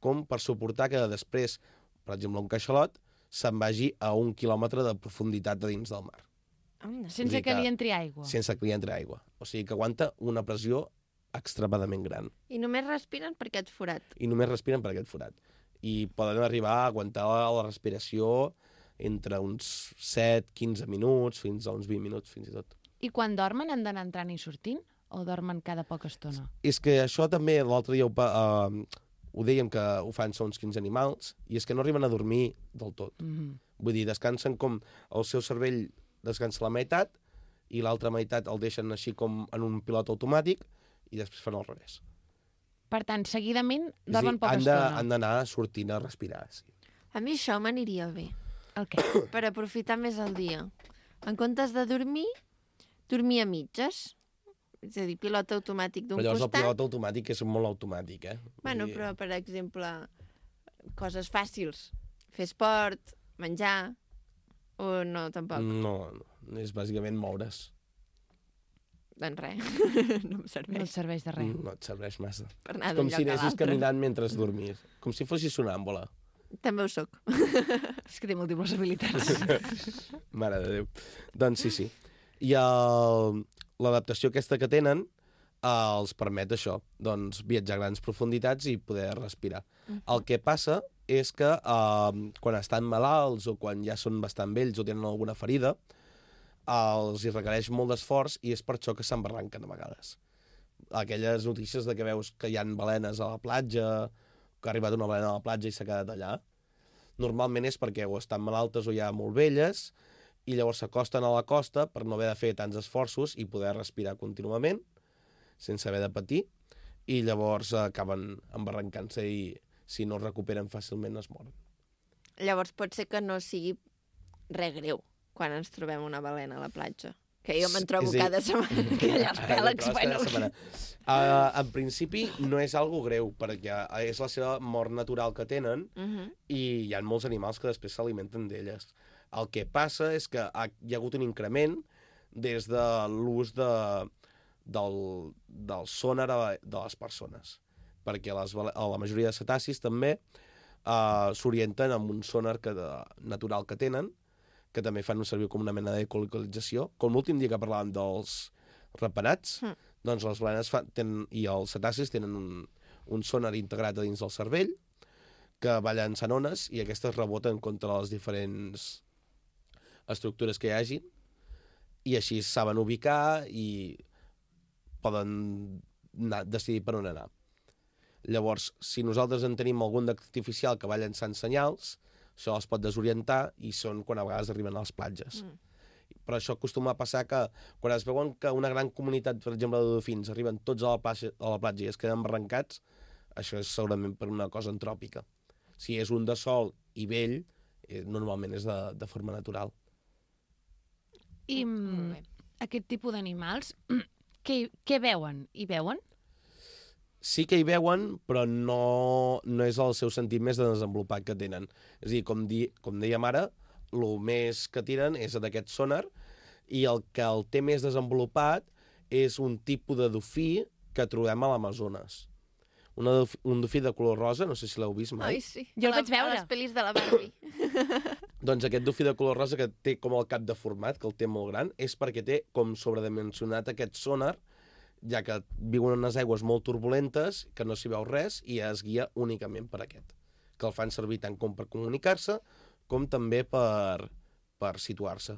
com per suportar que després, per exemple, un caixalot se'n vagi a 1 quilòmetre de profunditat de dins del mar, Sense que li entri aigua. sense que li entri aigua. O sigui que aguanta una pressió extremadament gran. I només respiren per aquest forat. I només respiren per aquest forat. I poden arribar a aguantar la respiració entre uns 7-15 minuts, fins a uns 20 minuts, fins i tot. I quan dormen han d'anar entrant i sortint? o dormen cada poca estona? És que això també l'altre dia ho dèiem que ho fan segons quins animals, i és que no arriben a dormir del tot. Vull dir, descansen com el seu cervell descansa la meitat i l'altra meitat el deixen així com en un pilot automàtic i després fan al revés. Per tant, seguidament És a dir, dormen poca estona. han d'anar sortint a respirar. Sí. A mi això m'aniria bé, El què? per aprofitar més el dia. En comptes de dormir a mitges. És a dir, pilot automàtic d'un Però llavors costat. el pilot automàtic és molt automàtic, eh? Bueno, Vull dir, però, per exemple, coses fàcils. Fer esport, menjar, o no, tampoc? No, és bàsicament moure's. Doncs res, no em No serveix et serveix de res. No et serveix massa. per anar És d'un com lloc si a anessis l'altre. caminant mentre dormies. Com si fossis sonàmbula. També ho soc. És que té múltiples habilitats. Mare de Déu. Doncs sí. I l'adaptació aquesta que tenen els permet això, doncs viatjar a grans profunditats i poder respirar. El que passa és que quan estan malalts o quan ja són bastant vells o tenen alguna ferida, els hi requereix molt d'esforç i és per això que s'embarranquen a vegades. Aquelles notícies de que veus que hi ha balenes a la platja, que ha arribat una balena a la platja i s'ha quedat allà, normalment és perquè o estan malaltes o ja molt velles i llavors s'acosten a la costa per no haver de fer tants esforços i poder respirar contínuament sense haver de patir i llavors acaben embarrancant-se i si no es recuperen fàcilment es moren. Llavors pot ser que no sigui res greu quan ens trobem una balena a la platja. Que jo me'n trobo És a dir- cada setmana. Que allà els pèlegs, Cada bueno. setmana. En principi no és algo greu perquè és la seva mort natural que tenen i hi ha molts animals que després s'alimenten d'elles. El que passa és que hi ha hagut un increment des de l'ús del sonar de les persones. Perquè la majoria de cetacis també s'orienten amb un sonar natural que tenen, que també fan servir com una mena d'ecolocalització. Com l'últim dia que parlàvem dels ratpenats, doncs les balenes i els cetacis tenen un sonar integrat a dins del cervell que va llançant ones i aquestes reboten contra les diferents estructures que hi hagi i així saben ubicar i poden decidir per on anar. Llavors, si nosaltres en tenim algun artificial que va llançant senyals, això els pot desorientar i són quan a vegades arriben a les platges. Però això acostuma a passar que quan es veuen que una gran comunitat, per exemple, de dofins arriben tots a la platja i es queden embarrancats, això és segurament per una cosa antròpica. Si és un de sol i vell, normalment és de forma natural. I aquest tipus d'animals, què veuen? Hi veuen? Sí que hi veuen, però no és el seu sentit més desenvolupat que tenen. És a dir, com dèiem ara, el més que tiren és d'aquest sonar i el que el té més desenvolupat és un tipus de dofí que trobem a l'Amazones. Un dofí de color rosa, no sé si l'heu vist mai. Ai, sí. Jo el vaig veure. A les pel·lis de la Barbie. Doncs aquest dofí de color rosa que té com el cap deformat, que el té molt gran, és perquè té com sobredimensionat aquest sonar, ja que viuen en unes aigües molt turbulentes, que no s'hi veu res, i es guia únicament per aquest, que el fan servir tant com per comunicar-se, com també per situar-se.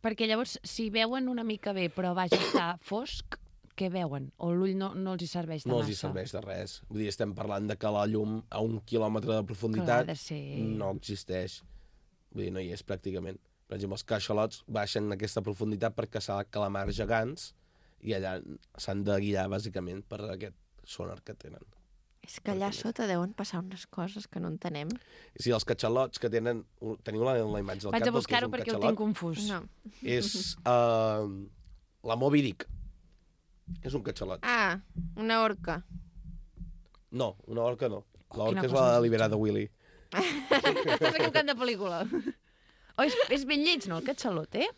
Perquè llavors, si veuen una mica bé, però vaja, està fosc, què veuen? O l'ull no els hi serveix de No massa? els hi serveix de res. Vull dir, estem parlant de que la llum a 1 quilòmetre de profunditat Que ha de ser... no existeix. Vull dir, no hi és pràcticament. Per exemple, els caixalots baixen a aquesta profunditat per caçar calamars gegants i allà s'han de guiar, bàsicament, per aquest sonar que tenen. És que allà sota deuen passar unes coses que no entenem. Sí, els catxalots que tenen... Teniu la imatge del Vaig cap a del que és buscar-ho un perquè ho catxalot? tinc confús. No. És la Moby Dick. És un catxalot. Ah, una orca. No, una orca no. La quina orca és cosa la més liberada Willy. Estàs equivocant de pel·lícula. Oh, és ben lleig, no, el catxalot, eh?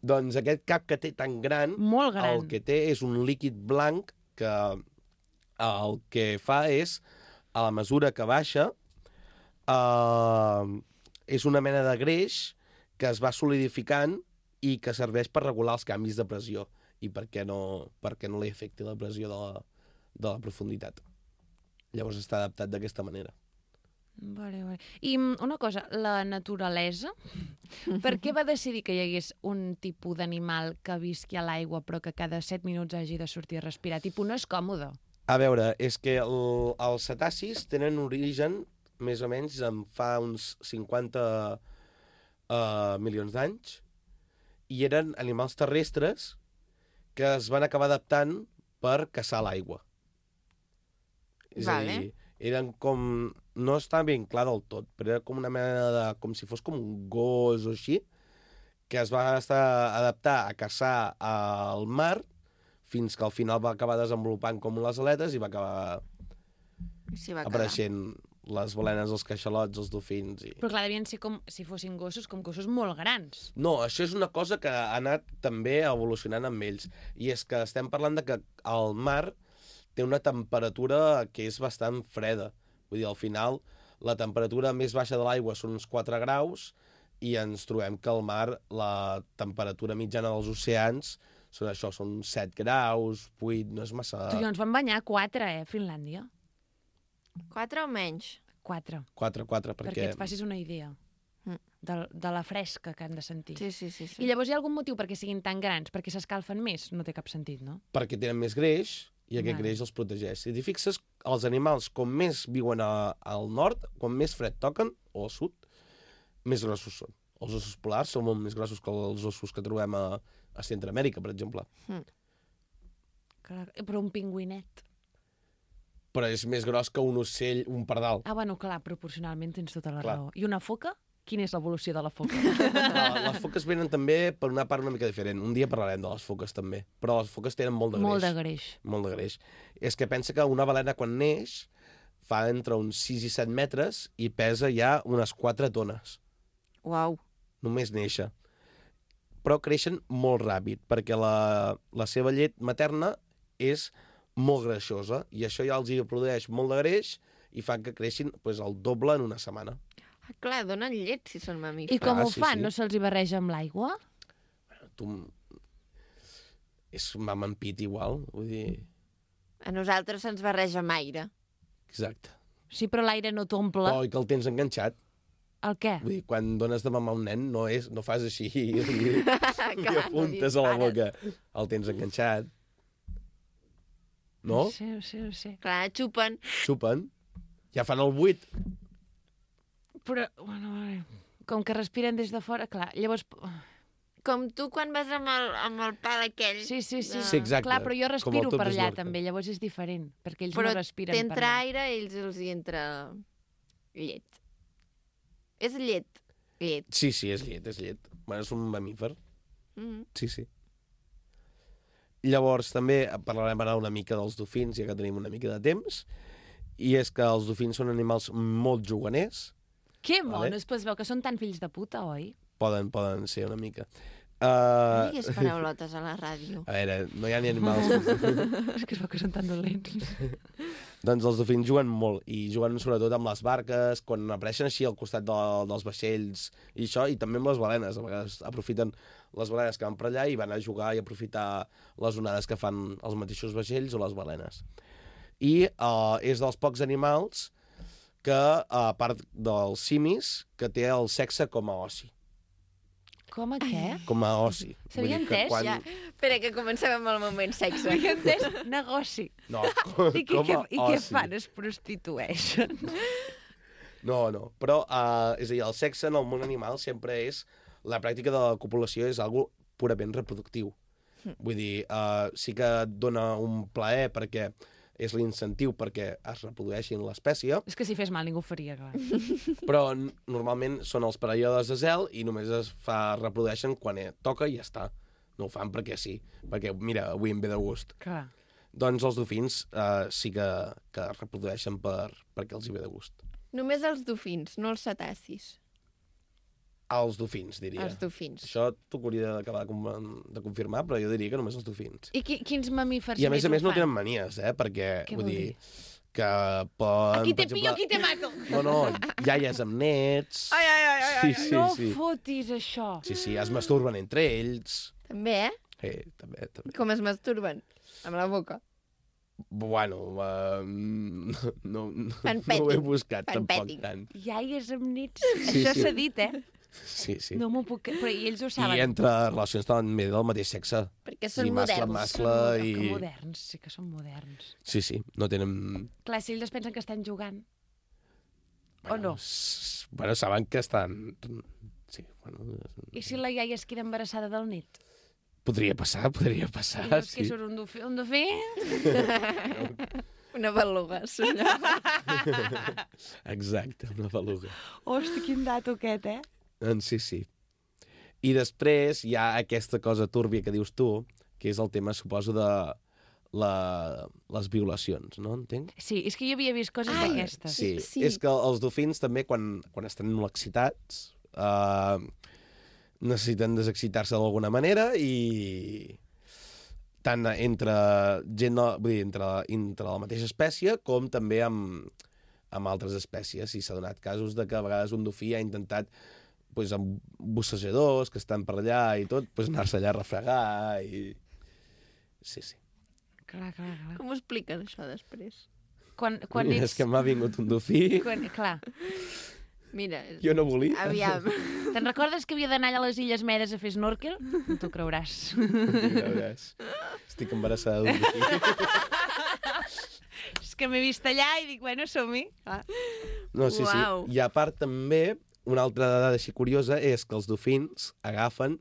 Doncs aquest cap que té tan gran, Molt gran. el que té és un líquid blanc que el que fa és, a la mesura que baixa, és una mena de greix que es va solidificant i que serveix per regular els canvis de pressió i perquè no li afecti la pressió de la profunditat. Llavors està adaptat d'aquesta manera. Vale. I una cosa, la naturalesa, per què va decidir que hi hagués un tipus d'animal que visqui a l'aigua però que cada 7 minuts hagi de sortir a respirar? No és còmode. A veure, és que els cetacis tenen origen més o menys fa uns 50 milions d'anys i eren animals terrestres que es van acabar adaptant per caçar l'aigua. És a dir, eren com... No està ben clar del tot, però era com una mena de... com si fos com un gos o així, que es va adaptar a caçar al mar fins que al final va acabar desenvolupant com les aletes i va acabar apareixent les balenes, els caixalots, els dofins... Però clar, devien ser com si fossin gossos, com gossos molt grans. No, això és una cosa que ha anat també evolucionant amb ells. I és que estem parlant de que el mar té una temperatura que és bastant freda. Vull dir, al final, la temperatura més baixa de l'aigua són uns 4 graus i ens trobem que al mar la temperatura mitjana dels oceans són 7 graus, 8, no és massa... Tu i jo ens vam banyar 4, Finlàndia. 4 o menys? 4. 4, perquè et facis una idea de la fresca que han de sentir. Sí. I llavors hi ha algun motiu perquè siguin tan grans? Perquè s'escalfen més? No té cap sentit, no? Perquè tenen més greix i aquest greix els protegeix. Si t'hi fixes, els animals, com més viuen al nord, quan més fred toquen, o al sud, més grossos són. Els ossos polars són molt més grossos que els ossos que trobem a Centroamèrica, per exemple. Però un pingüinet. Però és més gros que un ocell, un pardal. Ah, bueno, clar, proporcionalment tens tota la raó. I una foca? Quina és l'evolució de la foca? Les foques venen també per una part una mica diferent. Un dia parlarem de les foques també. Però les foques tenen molt de greix. Molt de greix. És que pensa que una balena quan neix fa entre uns 6 i 7 metres i pesa ja unes 4 tones. Uau. Només néixer. Però creixen molt ràpid perquè la seva llet materna és molt greixosa i això ja els hi produeix molt de greix i fa que creixin el doble en una setmana. Ah, clar, donen llet si són mamífers. I com ho fan? Sí. No se'ls hi barreja amb l'aigua? És mam amb pit igual, vull dir... A nosaltres se'ns barreja amb aire. Exacte. Sí, però l'aire no t'omple. Oh, i que el tens enganxat. El què? Vull dir, quan dones de mamar a un nen no fas així i apuntes a la boca. El tens enganxat. No? Sí. Clar, xupen. Xupen. Ja fan el buit. Però, bueno, com que respiren des de fora, clar, llavors... Com tu quan vas amb el pal aquell. Sí, exacte. Clar, però jo respiro per allà també, llavors és diferent, perquè ells no respiren per allà. Però t'entra aire i ells els hi entra llet. És llet. Sí, és llet. Bueno, és un mamífer. Sí. Llavors, també parlarem ara una mica dels dofins, ja que tenim una mica de temps, i és que els dofins són animals molt juganers. Que monos, pues veu que són tan fills de puta, oi? Poden ser una mica. No digues paraulotes a la ràdio. A veure, no hi ha ni animals. És que es veu que són tan dolents. Doncs els dofins juguen molt, i juguen sobretot amb les barques, quan apareixen així al costat dels vaixells i això, i també amb les balenes. A vegades aprofiten les balenes que van per allà i van a jugar i aprofitar les onades que fan els mateixos vaixells o les balenes. I és dels pocs animals que, a part dels simis, que té el sexe com a oci. Com a què? Com a oci. S'havia entès? Ja. Espera, que comencem amb el moment sexe. S'havia entès negoci. No, I què fan? Es prostitueixen? No. Però, és a dir, el sexe en el món animal sempre és... La pràctica de la copulació és algo purament reproductiu. Vull dir, sí que et dona un plaer perquè és l'incentiu perquè es reprodueixin l'espècie. És que si fes mal ningú ho faria, clar. Però normalment són els períodes de zel i només reprodueixen quan toca i ja està. No ho fan perquè sí, perquè mira, avui em ve de gust. Clar. Doncs els dofins sí que reprodueixen perquè els hi ve de gust. Només els dofins, no els cetacis. Els dofins, diria. Els dofins. Això t'ho hauria d'acabar de confirmar, però jo diria que només els dofins. I quins mamífers I a més no tenen manies, perquè, vull dir, que poden... Aquí te pillo, aquí te mato. No, iaies amb nets... Ai. Sí. No fotis això. Sí, es masturben entre ells. També, Sí, també. Com es masturben? Amb la boca. Bueno, no ho he buscat tampoc tant. Iaies amb nits. Això s'ha dit, Sí. No m'ho puc... Però i ells ho saben. I entre relacions també del mateix sexe. Perquè són mascle, moderns. mascle i... Que moderns, sí que són moderns. Sí, no tenen... Clar, si ells pensen que estan jugant. O no? Bueno, saben que estan... Sí, bueno... I si la iaia es queda embarassada del nit? Podria passar, I llavors sí. que surt un dofí? Una beluga, senyor. Exacte, una beluga. Hosti, quin dato aquest, Sí. I després hi ha aquesta cosa túrbia que dius tu, que és el tema, suposo, de les violacions, no? Entenc? Sí, és que jo havia vist coses d'aquestes. Sí, és que els dofins també, quan estan molt excitats, necessiten desexcitar-se d'alguna manera i tant entre gent, vull dir, entre la mateixa espècie com també amb altres espècies. I s'ha donat casos de que a vegades un dofí ha intentat, amb bussejadors que estan per allà i tot, anar-se allà a refregar i... Sí. Clar. Com ho expliquen, això, després? Quan És que m'ha vingut un dofí... Clar. Mira... Jo no volia. Aviam. Te'n recordes que havia d'anar allà a les Illes Medes a fer snorkel? No t'ho creuràs. Estic embarassada d'un dofí. És que m'he vist allà i dic, bueno, som-hi. No, sí. I a part també, una altra dada així curiosa és que els dofins agafen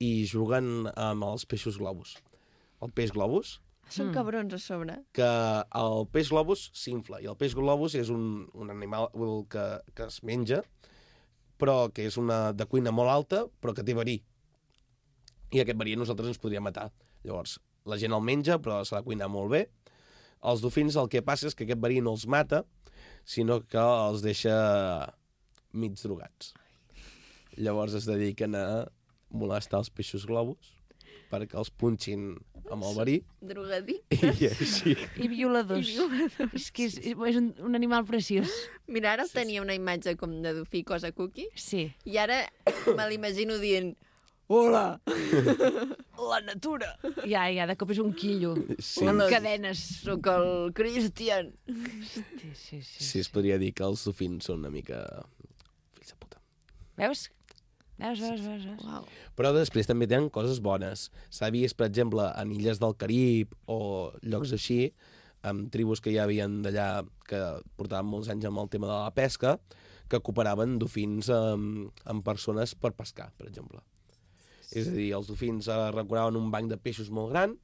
i juguen amb els peixos globus. El peix globus... Són cabrons a sobre. Que el peix globus s'infla, i el peix globus és un animal que es menja, però que és de cuina molt alta, però que té verí. I aquest verí a nosaltres ens podria matar. Llavors, la gent el menja, però s'ha de cuinar molt bé. Els dofins el que passa és que aquest verí no els mata, sinó que els deixa mig drogats. Llavors es dediquen a molestar els peixos globus perquè els punxin amb el verí. Drogadictes. I així. I violadors. És que és un animal preciós. Mira, ara tenia una imatge com de dofí cosa cookie. Sí. I ara me l'imagino dient hola, la natura. Ja, de cop és un quillo. Sí. Amb cadenes. Soc el Christian. Sí, es podria dir que els dofins són una mica fills de puta. Veus? Wow. Però després també tenen coses bones. S'ha vist, per exemple, en illes del Carib o llocs així, amb tribus que hi havien d'allà que portaven molts anys amb el tema de la pesca, que cooperaven dofins amb persones per pescar, per exemple. És a dir, els dofins recuraven un banc de peixos molt gran,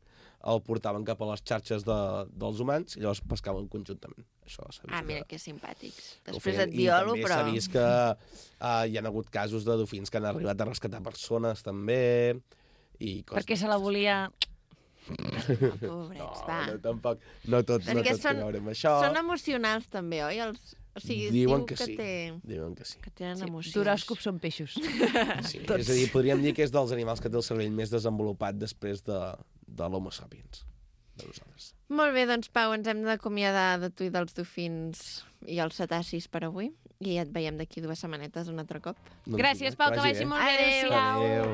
el portaven cap a les xarxes dels humans i llavors pescaven conjuntament. Això s'ha vist. Mira que simpàtics. Després et violo, però... I també s'ha vist que hi ha hagut casos de dofins que han arribat a rescatar persones, també, i coses... Perquè se la volia... Pobrets, va. No, tampoc. No tot té a veure amb això. Són emocionals, també, oi? O sigui, diuen que sí. Diuen que sí. Que tenen emocions. D'horòscops són peixos. Sí, és a dir, podríem dir que és dels animals que té el cervell més desenvolupat després de l'Homo sapiens, de nosaltres. Molt bé, doncs, Pau, ens hem d'acomiadar de tu i dels dofins i els cetacis per avui. I et veiem d'aquí 2 setmanetes un altre cop. Gràcies, Pau, que vagi molt bé. Adéu-siau. Adéu.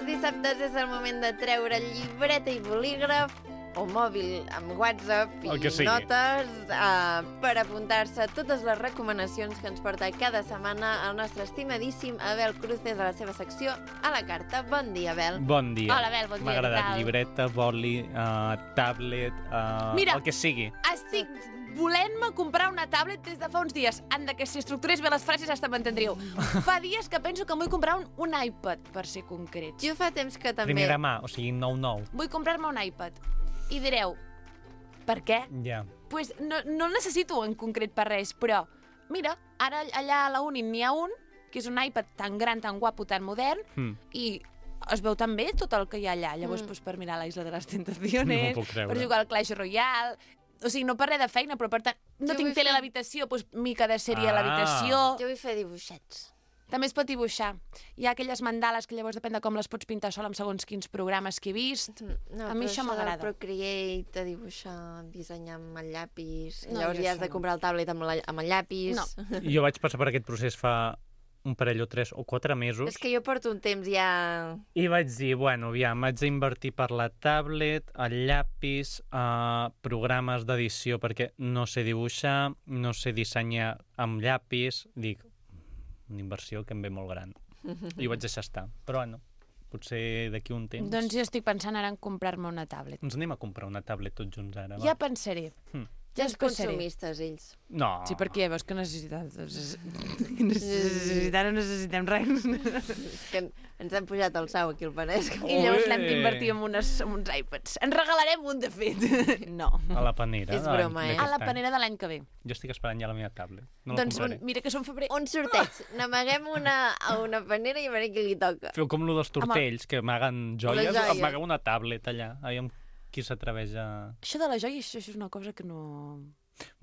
Dissabtes és el moment de treure llibreta i bolígraf o mòbil amb WhatsApp i notes per apuntar-se a totes les recomanacions que ens porta cada setmana el nostre estimadíssim Abel Cruces a la seva secció A la Carta. Bon dia, Abel. Bon dia. Hola, Abel, bon dia. M'ha agradat llibreta, boli, tablet, Mira, el que sigui. Estic volent-me comprar una tablet des de fa uns dies. Anda, que si estructurés bé les frases hasta m'entendríeu. Fa dies que penso que em vull comprar un iPad, per ser concrets. Jo fa temps que també... Primera mà, o sigui, 9-9. Vull comprar-me un iPad. I direu, per què? Ja. Pues no el necessito en concret per res, però mira, ara allà a la uni n'hi ha un, que és un iPad tan gran, tan guapo, tan modern, i es veu tan bé tot el que hi ha allà. Llavors, per mirar la Isla de les Tentaciones, per jugar al Clash Royale... O sigui, no per res de feina, però per tant... No tinc tele a l'habitació, doncs mica de sèrie a l'habitació... Jo vull fer dibuixets. També es pot dibuixar. Hi ha aquelles mandales que llavors depèn de com les pots pintar sol amb segons quins programes que he vist. No, a mi això m'agrada. Procreate, dibuixar, dissenyar amb el llapis... Llavors ja has de comprar el tablet amb el llapis... No. Jo vaig passar per aquest procés fa un parell o 3 o 4 mesos. És que jo porto un temps ja... I vaig dir, bueno, aviam, haig d'invertir per la tablet, el llapis, programes d'edició, perquè no sé dibuixar, no sé dissenyar amb llapis. Dic, una inversió que em ve molt gran. I ho vaig deixar estar. Però, bueno, potser d'aquí un temps... Doncs jo estic pensant ara en comprar-me una tablet. Ens anem a comprar una tablet tots junts ara, va? Ja pensaré. Ja els consumistes, ells. No. Sí, perquè ja veus que necessitem no necessitem res. Que ens han pujat el sau aquí al Penedès. I llavors l'hem d'invertir en uns iPads. En regalarem un, de fet. No. A la panera. És broma, A la panera de l'any que ve. Jo estic esperant ja la meva tablet. No Doncs la compraré. mira que som febrer. Un sorteig. N'amaguem a una panera i a veure qui li toca. Feu com lo dels tortells, que amaguen joies. Les joies. Amagueu una tablet allà. Aviam qui s'atreveix a... Això de la joia, això és una cosa que no...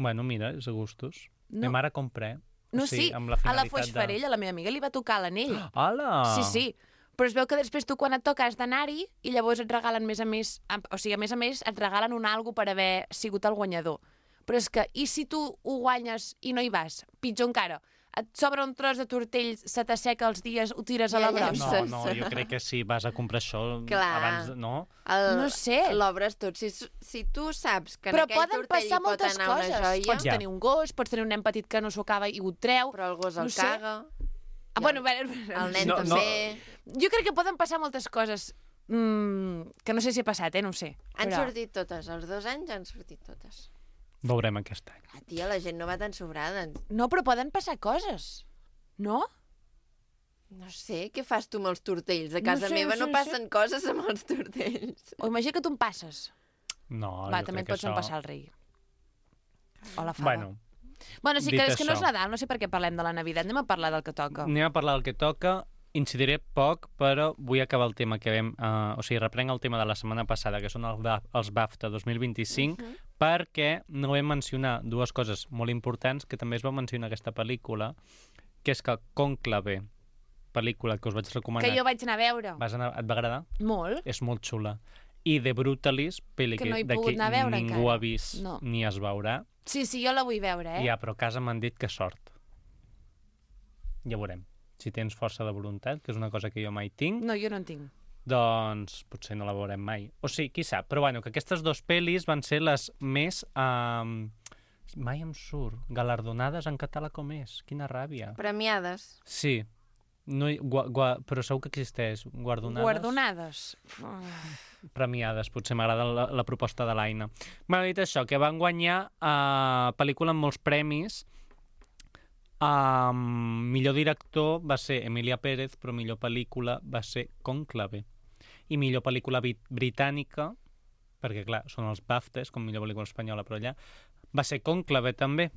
Bueno, mira, és a gustos. No. Ma mare compré. No, sí, amb la a la finalitat Foixfarella, la meva amiga, li va tocar l'anell. Hola! Sí. Però es veu que després tu quan et toca has d'anar-hi i llavors et regalen més a més, o sigui, a més et regalen un algo per haver sigut el guanyador. Però és que, i si tu ho guanyes i no hi vas? Pitjor encara, et sobra un tros de tortell, se t'asseca els dies, ho tires a la brossa. No, jo crec que si vas a comprar això Clar. abans, no? No sé. L'obres tot. Si tu saps que en Però aquell poden tortell passar hi pot moltes anar coses. una joia... Pots tenir un gos, pots tenir un nen petit que no s'ho acaba i ho treu. Però el gos el sé. caga. Bueno, El nen també. Jo crec que poden passar moltes coses que no sé si ha passat, no ho sé. Han sortit totes. Els 2 anys han sortit totes. Veurem aquest any. Tia, la gent no va tan sobrada. No, però poden passar coses. No? No sé, què fas tu amb els tortells? A casa meva no passen coses amb els tortells. O imagina que tu en passes. No, Va, jo també crec et pots que empassar el rei. O la fava. Bueno, sí, que és que no és Nadal, no sé per què parlem de la Navidad. Anem a parlar del que toca. Anem a parlar del que toca. Incidiré poc, però vull acabar el tema que vam... o sigui, reprenc el tema de la setmana passada, que són els BAFTA 2025, perquè no vam mencionar 2 coses molt importants que també es va mencionar aquesta pel·lícula, que és que Cònclave, pel·lícula que us vaig recomanar... Que jo vaig anar a veure. Et va agradar? Molt. És molt xula. I The Brutalist, pel·li Que no he d'aquí pogut anar a veure ningú encara. ha vist No. ni es veurà. Sí, jo la vull veure, Ja, però a casa m'han dit que sort. Ja veurem. Si tens força de voluntat, que és una cosa que jo mai tinc, No, jo no en tinc. doncs potser no la veurem mai. O sí, qui sap. Però bueno, que aquestes 2 pel·lis van ser les més... mai em surt. Galardonades en català com és. Quina ràbia. Premiades. Sí. No, però segur que existeix. Guardonades? Premiades. Potser m'agrada la proposta de l'Aina. M'ha dit això, que van guanyar pel·lícula amb molts premis. Millor director va ser Emilia Pérez, però millor pel·lícula va ser Cònclave. I millor pel·lícula britànica, perquè clar, són els BAFTAs, com millor pel·lícula espanyola, però allà, va ser Cònclave també.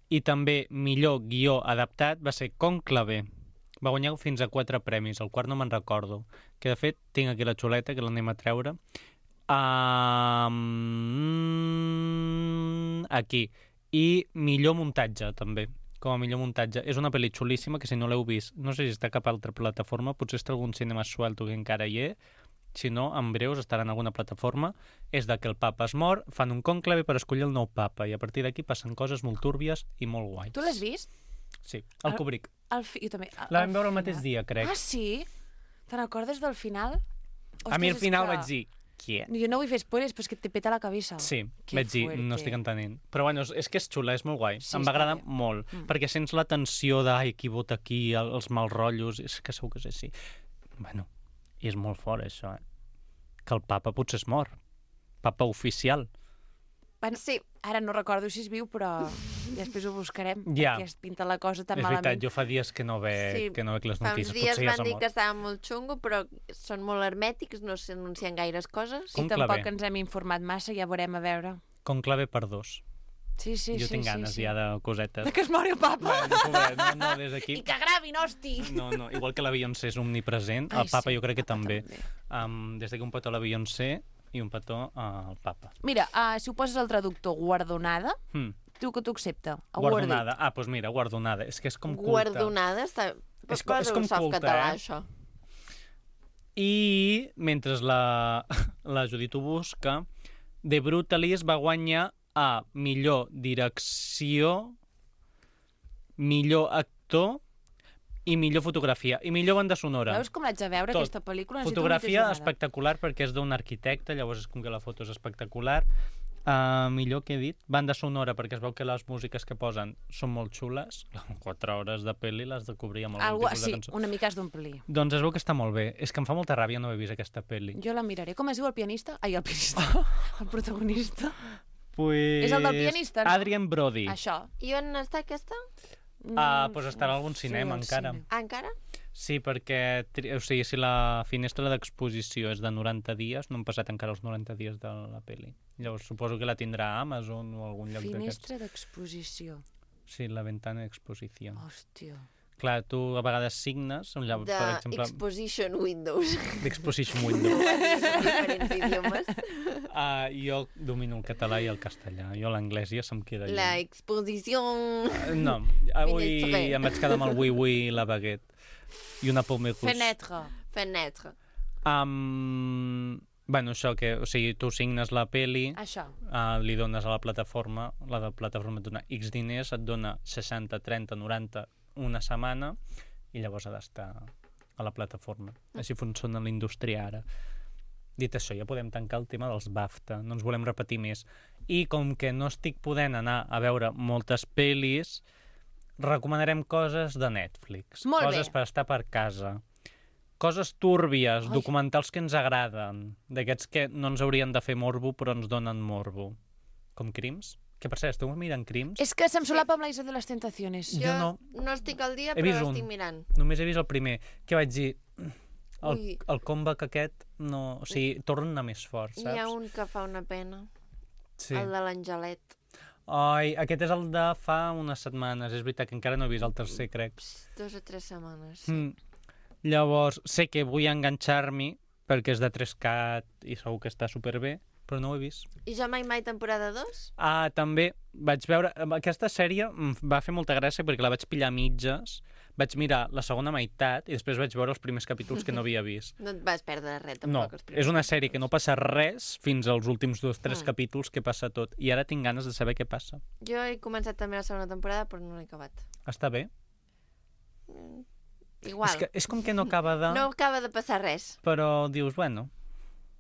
I també millor guió adaptat va ser Cònclave. Va guanyar fins a 4 premis, el quart no me'n recordo. Que de fet tinc aquí la xuleta, que l'anem a treure. Aquí. I millor muntatge també. Com a millor muntatge. És una pel·li xulíssima que si no l'heu vist, no sé si està a cap altra plataforma, potser està algun cinema suelto que encara hi és, si no, en breus estarà en alguna plataforma. És de que el papa es mor, fan un conclave per escollir el nou papa, i a partir d'aquí passen coses molt túrbies i molt guais. Tu l'has vist? Sí, el Kubrick. Jo també. La vam veure el mateix dia, crec. Ah, sí? Te n'acordes del final? A mi al final vaig dir, què? Jo no vull fer spoilers, però és que te peta la cabeza. Sí, Que vaig dir, fuerte. no estic entenent. Però bueno, és que és xula, és molt guai. Sí, em va està agradar bé. molt, perquè sents la tensió de qui vota aquí, els mal rotllos, és que segur que és així. Bueno, i és molt fort, això, Que el papa potser es mor. Papa oficial. Bueno, Sí. ara no recordo si és viu, però després ho buscarem, Ja. perquè es pinta la cosa tan És malament. veritat, jo fa dies que no veig les Fa uns notícies. dies Potser ja van s'ha dir mort. que estava molt xungo, però són molt hermètics, no s'anuncien gaires coses. I Conclave. tampoc ens hem informat massa, ja veurem a veure. Conclave per 2. Sí, sí, Jo sí. tinc ganes sí. ja de cosetes. De que es mori el papa. Bueno, pobret, no, des d'aquí. I que gravin, hosti! No, igual que la Beyoncé és omnipresent, Ai, el papa sí, jo crec que el papa també. també. Des d'aquí un petó a la Beyoncé i un petó al papa. Mira, si ho poses al traductor guardonada, tu que t'ho accepta. Guardonada. Ah, doncs mira, guardonada. És que és com culte. Guardonada està... És Posa com un soft culte, català, eh? això. I mentre la Judit ho busca, The Brutalist va guanyar a millor direcció, millor actor i millor fotografia. I millor banda sonora. Veus com l'haig de veure, Tot. aquesta pel·lícula? Necessito Fotografia una mica de espectacular perquè és d'un arquitecte, llavors és com que la foto és espectacular. Millor que he dit, banda sonora, perquè es veu que les músiques que posen són molt xules. 4 hores de pel·li les de cobrir amb algun tipus de Sí, cançó. una mica has d'omplir. Doncs es veu que està molt bé. És que em fa molta ràbia no haver vist aquesta pel·li. Jo la miraré. Com es diu el pianista? Ai, el pianista. El protagonista. Pues... És el del pianista, no? Adrien Brody. Això. I on està aquesta? Doncs estarà a algun cinema al encara. cine. Ah, encara? Sí, perquè o sigui, si la finestra d'exposició és de 90 dies, no han passat encara els 90 dies de la pel·li. Llavors suposo que la tindrà a Amazon o algun lloc d'aquests. Finestra d'exposició. Sí, la ventana d'exposició. Hòstia. Clar, tu a vegades signes, per exemple, Exposition Windows. d'Exposition Window. Diferents idiomes. Jo domino el català i el castellà. Jo l'anglès ja se'm queda La lluny. exposició... No, avui Finestre. em vaig quedar amb el oui-oui i la baguette. I una pomme rouge. Fenêtre. Fenêtre. Bueno, això, que, o sigui, tu signes la peli, Això. li dones a la plataforma et dona X diners, et dona 60, 30, 90, una setmana, i llavors ha d'estar a la plataforma. Així funciona la indústria ara. Dit això, ja podem tancar el tema dels BAFTA, no ens volem repetir més. I com que no estic podent anar a veure moltes pel·lis, recomanarem coses de Netflix. Molt coses bé. per estar per casa. Coses túrbies, documentals que ens agraden, d'aquests que no ens haurien de fer morbo però ens donen morbo. Com Crims? Que per cert, esteu mirant Crims? És que se'm solapa amb la Isla de les Tentaciones. Jo no. No estic al dia, He vist però un. l'estic mirant. Només he vist el primer. Què vaig dir? Ui. El comeback aquest, no... O sigui, torna més fort, saps? Hi ha un que fa una pena. Sí. El de l'Angelet. Ai, aquest és el de fa unes setmanes. És veritat que encara no he vist el tercer, crec. 2 o 3 setmanes. Llavors, sé que vull enganxar-m'hi perquè és de 3CAT i segur que està superbé, però no ho he vist. I Jo mai temporada 2? També vaig veure... Aquesta sèrie em va fer molta gràcia perquè la vaig pillar a mitges, vaig mirar la segona meitat i després vaig veure els primers capítols que no havia vist. No et vas perdre res, No, tampoc. els primers és una sèrie que no passa res fins als últims 2-3 Mm. capítols que passa tot. I ara tinc ganes de saber què passa. Jo he començat també la segona temporada, però no l'he acabat. Està bé? Igual. És com que no acaba de... No acaba de passar res. Però dius, bueno,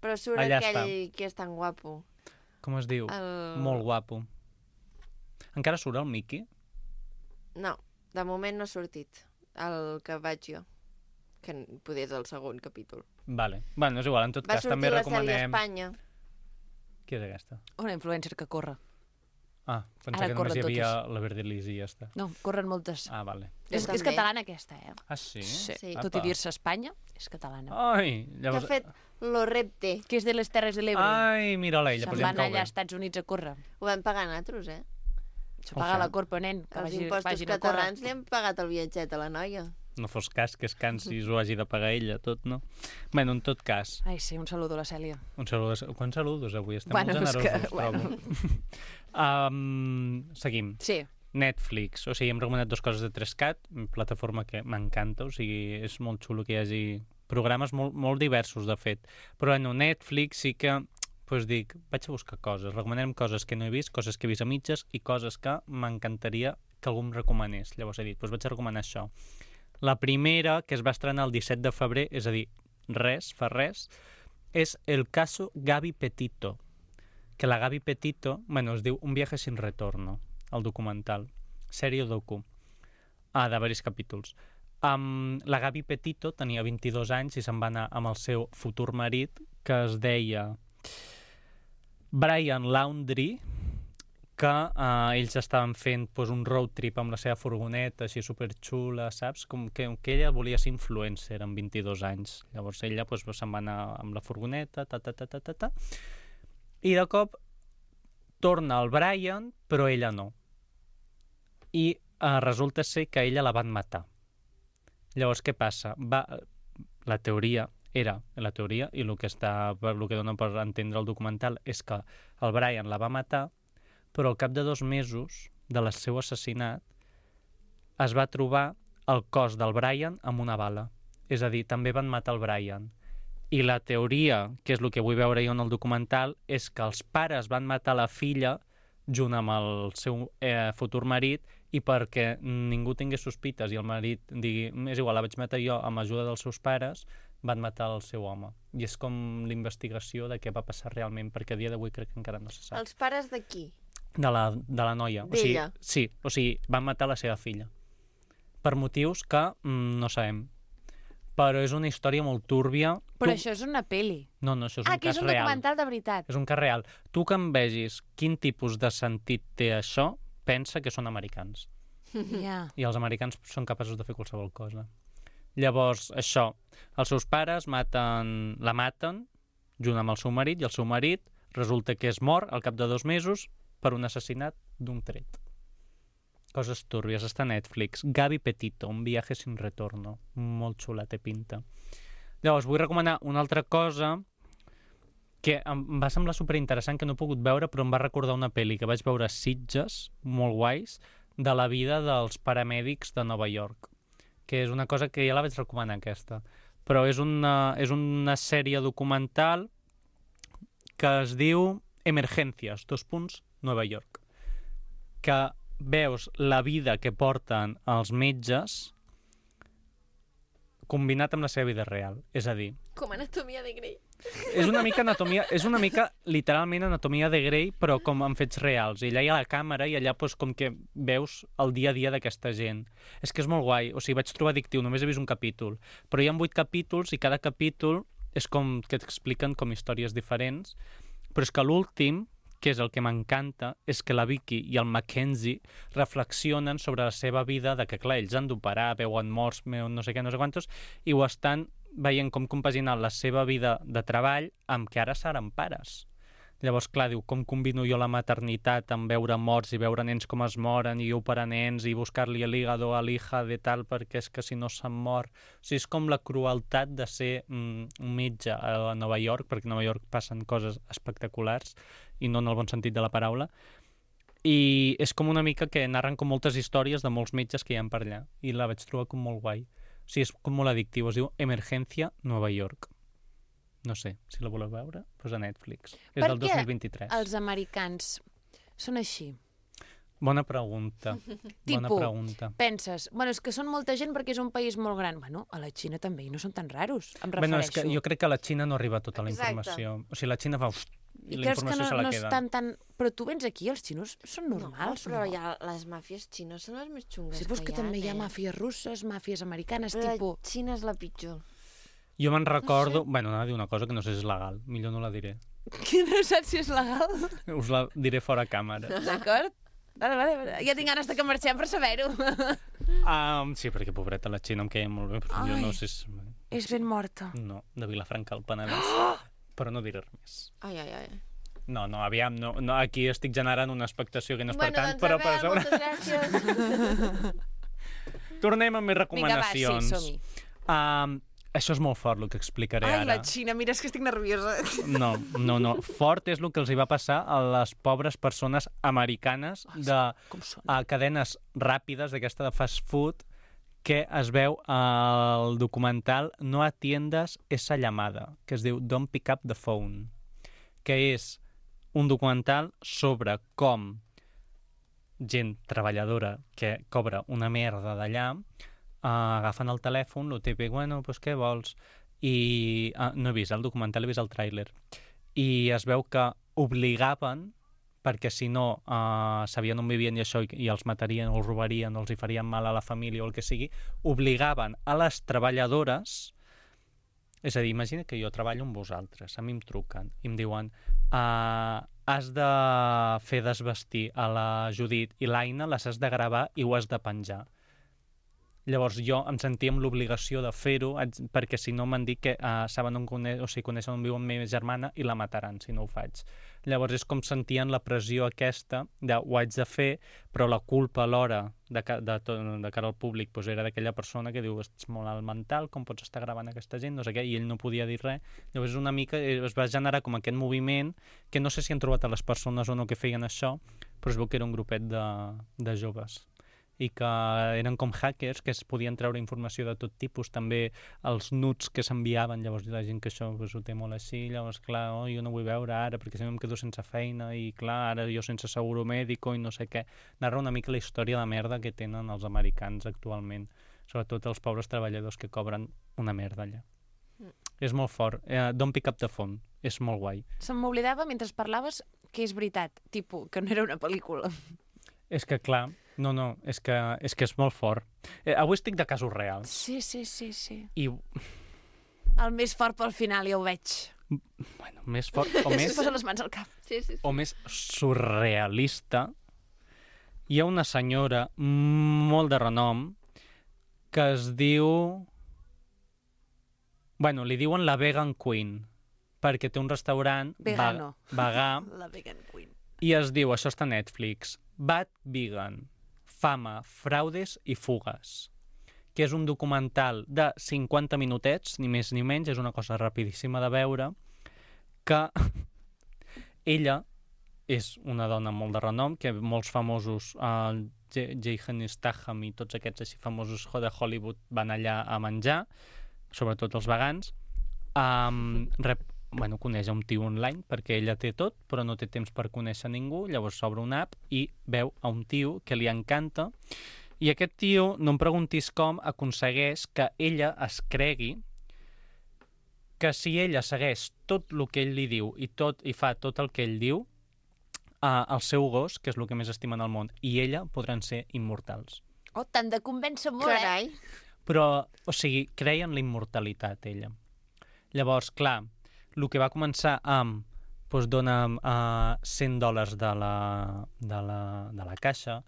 Però surt Allà aquell que és tan guapo. com es diu? El... Molt guapo. Encara surt el Mickey? No, de moment no ha sortit. El que vaig jo. Que poder és el segon capítol. Vale. Bueno, és igual, en tot Va cas sortir també la sèrie a recomanem... Espanya. Qui és aquesta? Una influencer que corre. Ah, pensava Ara que només hi corren havia la Verdelis i ja està. No, corren moltes. Ah, vale. Jo És també. catalana aquesta, eh? Ah, sí? Sí. Tot i dir-se Espanya, és catalana. Ai, Que ha llavors... fet Lo Repte. Que és de les Terres de l'Ebre. Ai, mira-la ella, Se'n però ja em van cau allà bé. als Estats Units a córrer. Ho vam pagar nosaltres, eh? S'ho paga Oja. la corpa, nen, que Els impostos vagin a córrer. catalans li hem pagat el viatget a la noia. No fos cas que es cansi i ho hagi de pagar ella, tot, no? Bueno, en tot cas, Ai, sí, un saludo a la Cèlia. un saludos. Quants saludos avui? Estem Bueno, molt és que- generosos, bueno. trobo. Seguim. Sí, Netflix, o sigui, hem recomanat 2 coses de 3CAT, plataforma que m'encanta, o sigui, és molt xulo que hi hagi programes molt diversos, de fet. Però, bueno, Netflix sí que, doncs dic, vaig a buscar coses, recomanem coses que no he vist, coses que he vist a mitges i coses que m'encantaria que algú em recomanés. Llavors he dit, doncs vaig a recomanar això. La primera, que es va estrenar el 17 de febrer, és a dir, fa res, és El caso Gaby Petito, que la Gaby Petito, bueno, es diu Un viaje sin retorno, el documental, sèrie docu, de diversos capítols. La Gaby Petito tenia 22 anys i se'n va anar amb el seu futur marit, que es deia Brian Laundrie, que ells estaven fent un road trip amb la seva furgoneta, així superxula, saps? Com que ella volia ser influencer amb 22 anys. Llavors ella se'n va anar amb la furgoneta, i de cop torna el Brian, però ella no. I resulta ser que ella la van matar. Llavors, què passa? La teoria, i el que dona per entendre el documental és que el Brian la va matar, però al cap de 2 mesos del seu assassinat es va trobar el cos del Brian amb una bala. És a dir, també van matar el Brian. I la teoria, que és el que vull veure jo en el documental, és que els pares van matar la filla junt amb el seu futur marit i perquè ningú tingués sospites i el marit digui, és igual, la vaig matar jo amb ajuda dels seus pares, van matar el seu home. I és com l'investigació de què va passar realment, perquè a dia d'avui crec que encara no se sap. Els pares de qui? De la noia. D'ella? O sigui, van matar la seva filla. Per motius que no sabem. Però és una història molt túrbia. Però això és una pel·li. No, això és un cas real. Que és un documental de veritat. És un cas real. Tu que em vegis quin tipus de sentit té això, pensa que són americans. Yeah. I els americans són capaços de fer qualsevol cosa. Llavors, això, els seus pares la maten junt amb el seu marit, i el seu marit resulta que és mort al cap de 2 mesos per un assassinat d'un tret. Coses túrbies, està a Netflix. Gaby Petito, un viaje sin retorno. Molt xula, té pinta. Llavors, vull recomanar una altra cosa que em va semblar superinteressant, que no he pogut veure, però em va recordar una pel·li que vaig veure a Sitges, molt guais, de la vida dels paramèdics de Nova York, que és una cosa que ja la vaig recomanar, aquesta. Però és una sèrie documental que es diu Emergencias, Nueva York, que veus la vida que porten els metges combinat amb la seva vida real. És a dir... Com Anatomia de Grey. És una mica literalment Anatomia de Grey, però com amb fets reals. I allà hi ha la càmera i allà com que veus el dia a dia d'aquesta gent. És que és molt guai. O sigui, vaig trobar addictiu, només he vist un capítol. Però hi ha 8 capítols i cada capítol és com que t'expliquen com històries diferents. Però és que l'últim, que és el que m'encanta, és que la Vicky i el Mackenzie reflexionen sobre la seva vida, de que, clar, ells han d'operar, veuen morts, no sé què, no sé quantos, i ho estan veient com compaginar la seva vida de treball amb que ara seran pares. Llavors, clar, diu, com combino jo la maternitat amb veure morts i veure nens com es moren i operar nens i buscar-li l'hígado a l'hija de tal perquè és que si no se'n mor. O sigui, és com la crueltat de ser un metge a Nova York, perquè a Nova York passen coses espectaculars i no en el bon sentit de la paraula. I és com una mica que narren com moltes històries de molts metges que hi ha per allà. I la vaig trobar com molt guai. O sigui, és com molt addictiu. Es diu Emergencia Nova York. No sé, si la voleu veure, doncs a Netflix. És del 2023. Per què els americans són així? Bona pregunta. Bona pregunta. Penses, bueno, és que són molta gent perquè és un país molt gran. Bueno, a la Xina també, i no són tan raros, em refereixo. Bueno, és que jo crec que a la Xina no arriba tota la informació. O sigui, la Xina fa... I la informació se la queda. Estan tan... Però tu vens aquí, els xinos són normals, no? Però ja les màfies xines són les més xungues que hi ha. Sí, que també hi ha màfies russes, màfies americanes, tipus... La Xina és la pitjor. Jo me'n recordo... Bueno, anava a dir una cosa que no sé si és legal. Millor no la diré. Que no saps si és legal? Us la diré fora càmera. D'acord? Vale. Ja tinc ganes de que marxem per saber-ho. Sí, perquè pobreta la Xina em queia molt bé, però jo no sé si... És ben morta. No, de Vilafranca al Penedès. Però no diré res més. Ai. No, aviam, no, aquí estic generant una expectació que no és per tant, doncs, però per sobre... moltes gràcies. Tornem amb més recomanacions. Vinga, va, sí, som-hi. Això és molt fort, el que explicaré ara. Ai, la Xina, mira, és que estic nerviosa. No. Fort és el que els hi va passar a les pobres persones americanes de cadenes ràpides, d'aquesta de fast food, que es veu al documental No atiendas esa llamada, que es diu Don't Pick Up the Phone, que és un documental sobre com gent treballadora que cobra una merda d'allà agafen el telèfon, lo típic, bueno, pues què vols? I no he vist el documental, he vist el tràiler. I es veu que obligaven, perquè si no sabien on vivien i això, i els matarien o els robarien o els hi farien mal a la família o el que sigui, obligaven a les treballadores, és a dir, imagina que jo treballo amb vosaltres, a mi em truquen i em diuen has de fer desvestir a la Judit i l'Aina, les has de gravar i ho has de penjar. Llavors jo em sentia amb l'obligació de fer-ho, perquè si no m'han dit que saben coneixen on viu la meva germana i la mataran si no ho faig. Llavors és com sentien la pressió aquesta de ho haig de fer, però la culpa alhora de cara al públic era d'aquella persona que diu ets molt alt mental, com pots estar gravant aquesta gent, no sé què, i ell no podia dir res. Llavors una mica es va generar com aquest moviment que no sé si han trobat a les persones o no que feien això, però es veu que era un grupet de joves i que eren com hackers que es podien treure informació de tot tipus, també els nuts que s'enviaven, llavors la gent que això ho té molt així, llavors clar, jo no vull veure ara perquè si no em quedo sense feina i clar, ara jo sense seguro mèdico i no sé què. Narra una mica la història de merda que tenen els americans actualment, sobretot els pobres treballadors que cobren una merda allà. És molt fort. Don't pick up the phone. És molt guai. Se m'oblidava mentre parlaves que és veritat, tipus, que no era una pel·lícula. És que clar, no, és que és molt fort. Avui estic de casos reals. Sí. I... El més fort pel final, ja ho veig. Bueno, més fort o més... Es posa les mans al cap. Sí. O més surrealista. Hi ha una senyora molt de renom que es diu... Bueno, li diuen la Vegan Queen, perquè té un restaurant vegà. La Vegan Queen. I es diu, això està a Netflix, Bad Vegan, fama, fraudes i fugues, que és un documental de 50 minutets, ni més ni menys, és una cosa rapidíssima de veure, que ella és una dona molt de renom, que molts famosos, Jason Statham i tots aquests així famosos de Hollywood van allà a menjar, sobretot els vegans, coneix un tio online perquè ella té tot però no té temps per conèixer ningú, llavors s'obre una app i veu a un tio que li encanta i aquest tio, no em preguntis com, aconsegueix que ella es cregui que si ella segueix tot el que ell li diu i fa tot el que ell diu, el seu gos, que és el que més estima en el món, i ella podran ser immortals. Oh, t'han de convèncer molt, Carai. Però, o sigui, creia en la immortalitat, ella. Llavors, clar, el que va començar amb dona'm $100 de la caixa,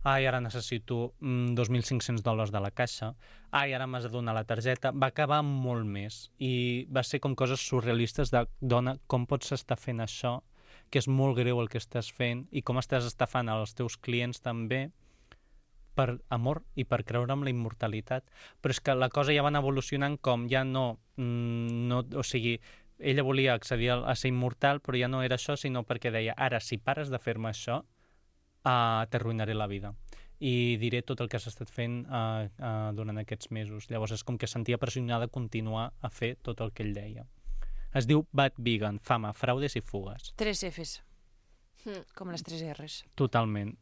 ara necessito $2.500 de la caixa, ara m'has de donar la targeta, va acabar molt més i va ser com coses surrealistes de dona, com pots estar fent això, que és molt greu el que estàs fent i com estàs estafant als teus clients també per amor i per creure en la immortalitat. Però és que la cosa ja van evolucionant com ja no o sigui, ella volia accedir a ser immortal, però ja no era això, sinó perquè deia, ara, si pares de fer-me això, t'arruïnaré la vida. I diré tot el que has estat fent durant aquests mesos. Llavors és com que sentia pressionada a continuar a fer tot el que ell deia. Es diu Bad Vegan, fama, fraudes i fugues. 3 Fs. Com les 3 Rs. Totalment.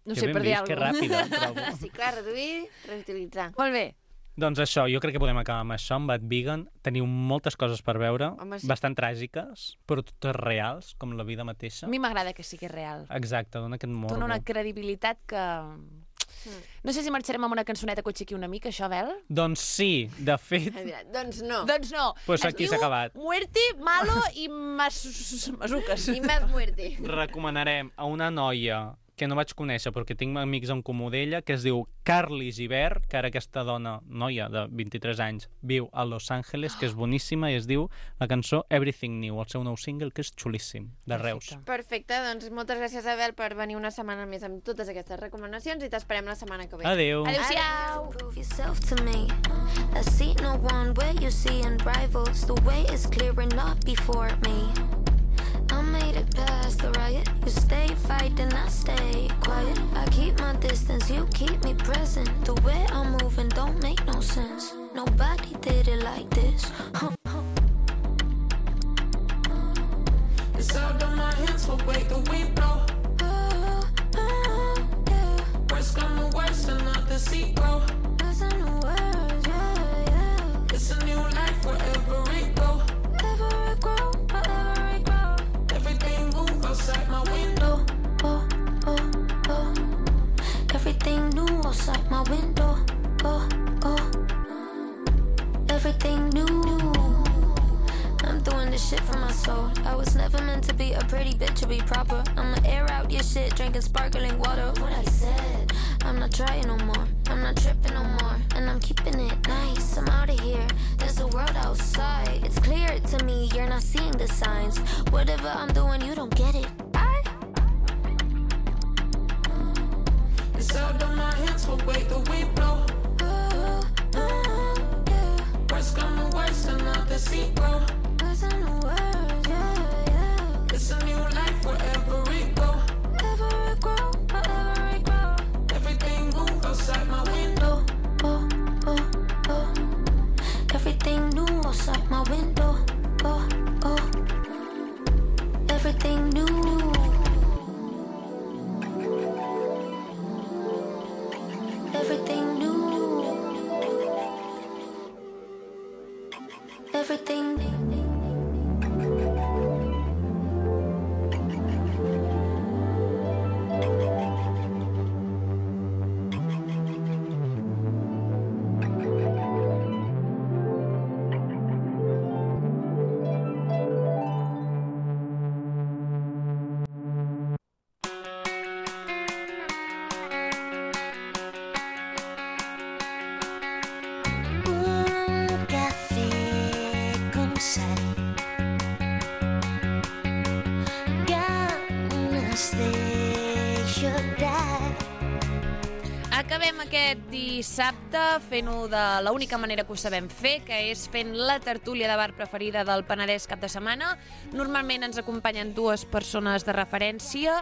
No sé, per dir alguna cosa. Que ràpida. Sí, clar, reduir, reutilitzar. Molt bé. Doncs això, jo crec que podem acabar amb això, amb Bad Vegan. Teniu moltes coses per veure, sí. Bastant tràgiques, però totes reals, com la vida mateixa. A mi m'agrada que sigui real. Exacte, dona aquest morbo. Dona una credibilitat que... No sé si marxarem amb una cançoneta que aixequi una mica, això, Bel? Doncs sí, de fet... Doncs no. Doncs no. Pues aquí s'ha acabat. Muerte, malo i masuques. I més muerte. Recomanarem a una noia que no vaig conèixer perquè tinc amics en comú d'ella, que es diu Carly Gibert, que ara aquesta noia de 23 anys, viu a Los Angeles, que és boníssima, i es diu la cançó Everything New, el seu nou single, que és xulíssim, de Reus. Perfecte, doncs moltes gràcies, Abel, per venir una setmana més amb totes aquestes recomanacions i t'esperem la setmana que ve. Adéu. Adéu-siau. Prove yourself to me. I see no one where you see unrivals. The way is clear and not before me. I made it past the riot. You stay fighting, I stay quiet. I keep my distance, you keep me present. The way I'm moving don't make no sense. Nobody did it like this. It's out of my hands, but wait, the wind blow. Worst come to worst and not the sequel. Listen to words, yeah. It's a new life wherever it go. Wherever it grow, wherever it grow. Everything move outside my window. Oh. Everything new outside my window. Oh. Everything new. told. I was never meant to be a pretty bitch or be proper. I'ma air out your shit, drinking sparkling water. What I said, I'm not trying no more. I'm not tripping no more, and I'm keeping it nice. I'm out of here, there's a world outside. It's clear to me, you're not seeing the signs. Whatever I'm doing, you don't get it. It's out of my hands, but wait, the wind blow. Worst come to worst, another sequel. What's in the world, yeah. It's a new life wherever it go. Wherever it grow, wherever it grow. Everything move outside my window. Oh, oh, oh. Everything new outside my window. Oh, oh. Everything new. Everything new. Everything. Acabem aquest dissabte fent-ho de l'única manera que ho sabem fer, que és fent la tertúlia de bar preferida del Penedès cap de setmana. Normalment ens acompanyen dues persones de referència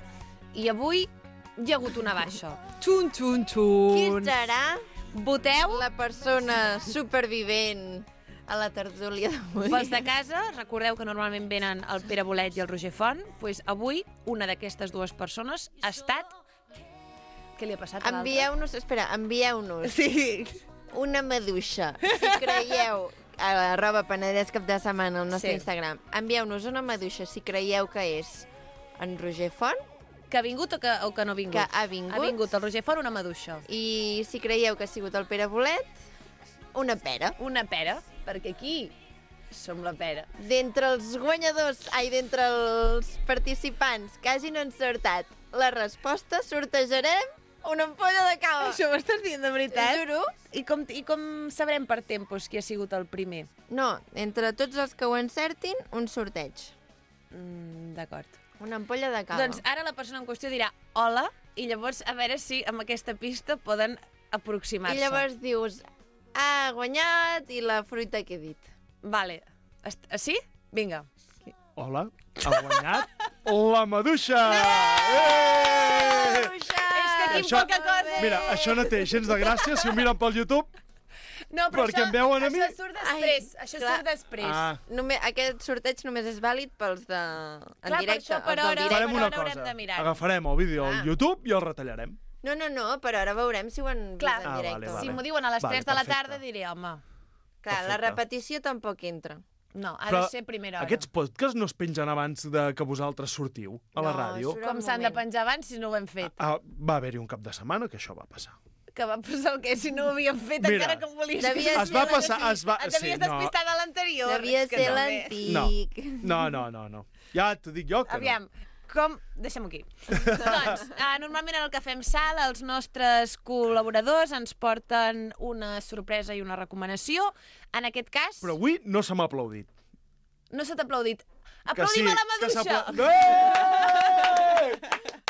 i avui hi ha hagut una baixa. Xun, xun, xun. Qui serà Voteu. la persona supervivent a la tertúlia d'avui? Pels de casa, recordeu que normalment venen el Pere Bolet i el Roger Font. Doncs avui una d'aquestes dues persones ha estat... Què li ha passat a l'altre? Envieu-nos Sí. una maduixa. Si creieu, a @Penedès cap de setmana al nostre Instagram, envieu-nos una maduixa si creieu que és en Roger Font. Que ha vingut o que no ha vingut? Que ha vingut. Ha vingut el Roger Font, una maduixa. I si creieu que ha sigut el Pere Bolet, una pera. Una pera, perquè aquí som la pera. D'entre els guanyadors, d'entre els participants que hagin encertat la resposta, sortejarem una ampolla de cava. Això ho estàs dient de veritat? Juro. I com sabrem per tempos qui ha sigut el primer? No, entre tots els que ho encertin, un sorteig. D'acord. Una ampolla de cava. Doncs ara la persona en qüestió dirà hola, i llavors a veure si amb aquesta pista poden aproximar-se. I llavors dius, ha guanyat i la fruita que he dit. Vale. Sí? Vinga. Hola, ha guanyat la maduixa! És que aquí Això- poca cosa. Mira, això no té gens de gràcia si ho miren pel YouTube. No, però perquè em veuen a mi. Això surt després. Ai, Això clar. surt després. Aquest sorteig només és vàlid pels de... en Clar, directe. per això, per els del hora- directe. Farem una haurem cosa, de mirar. agafarem el vídeo al YouTube i el retallarem. No, però ara veurem si ho han Clar. vist en directe. vale. Si m'ho diuen a les 3 de la perfecte. tarda, diré, home, Clar, la Perfecte. repetició tampoc entra. no, ha Però de ser a primera hora. Aquests podcasts no es pengen abans de que vosaltres sortiu a la No, ràdio? surt- Com s'han de penjar abans si no ho hem fet? Va haver-hi un cap de setmana que això va passar. Que va passar el que si no ho havíem fet, Mira, encara que ho volies. devia Es va passar... Et devies despistar de l'anterior. Devia És que ser no. l'antic. No. Ja t'ho dic jo que Aviam, com... Deixem-ho aquí. Doncs, normalment en el Cafè amb Sal els nostres col·laboradors ens porten una sorpresa i una recomanació. En aquest cas, no. Però avui no se m'ha aplaudit. no se t'ha aplaudit. Que Aplaudim a la que maduixa!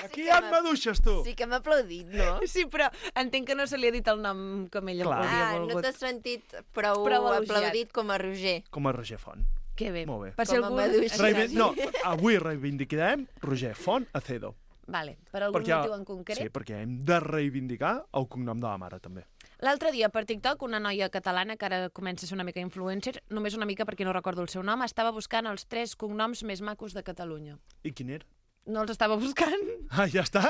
Aquí hi ha maduixes, tu! Sí que m'ha aplaudit, no? Sí, però entenc que no se li ha dit el nom com ella Clar. hauria No volgut. t'has sentit prou elogiat. aplaudit com a Roger. Com a Roger Font. Que bé. Molt bé. Per si Com a algú... maduixa. No, avui reivindicarem Roger Font Acedo. Vale, per algun motiu en concret? Sí, perquè hem de reivindicar el cognom de la mare, també. L'altre dia, per TikTok, una noia catalana, que ara comença a ser una mica influencer, només una mica perquè no recordo el seu nom, estava buscant els 3 cognoms més macos de Catalunya. I quin era? No els estava buscant. Ah, ja està?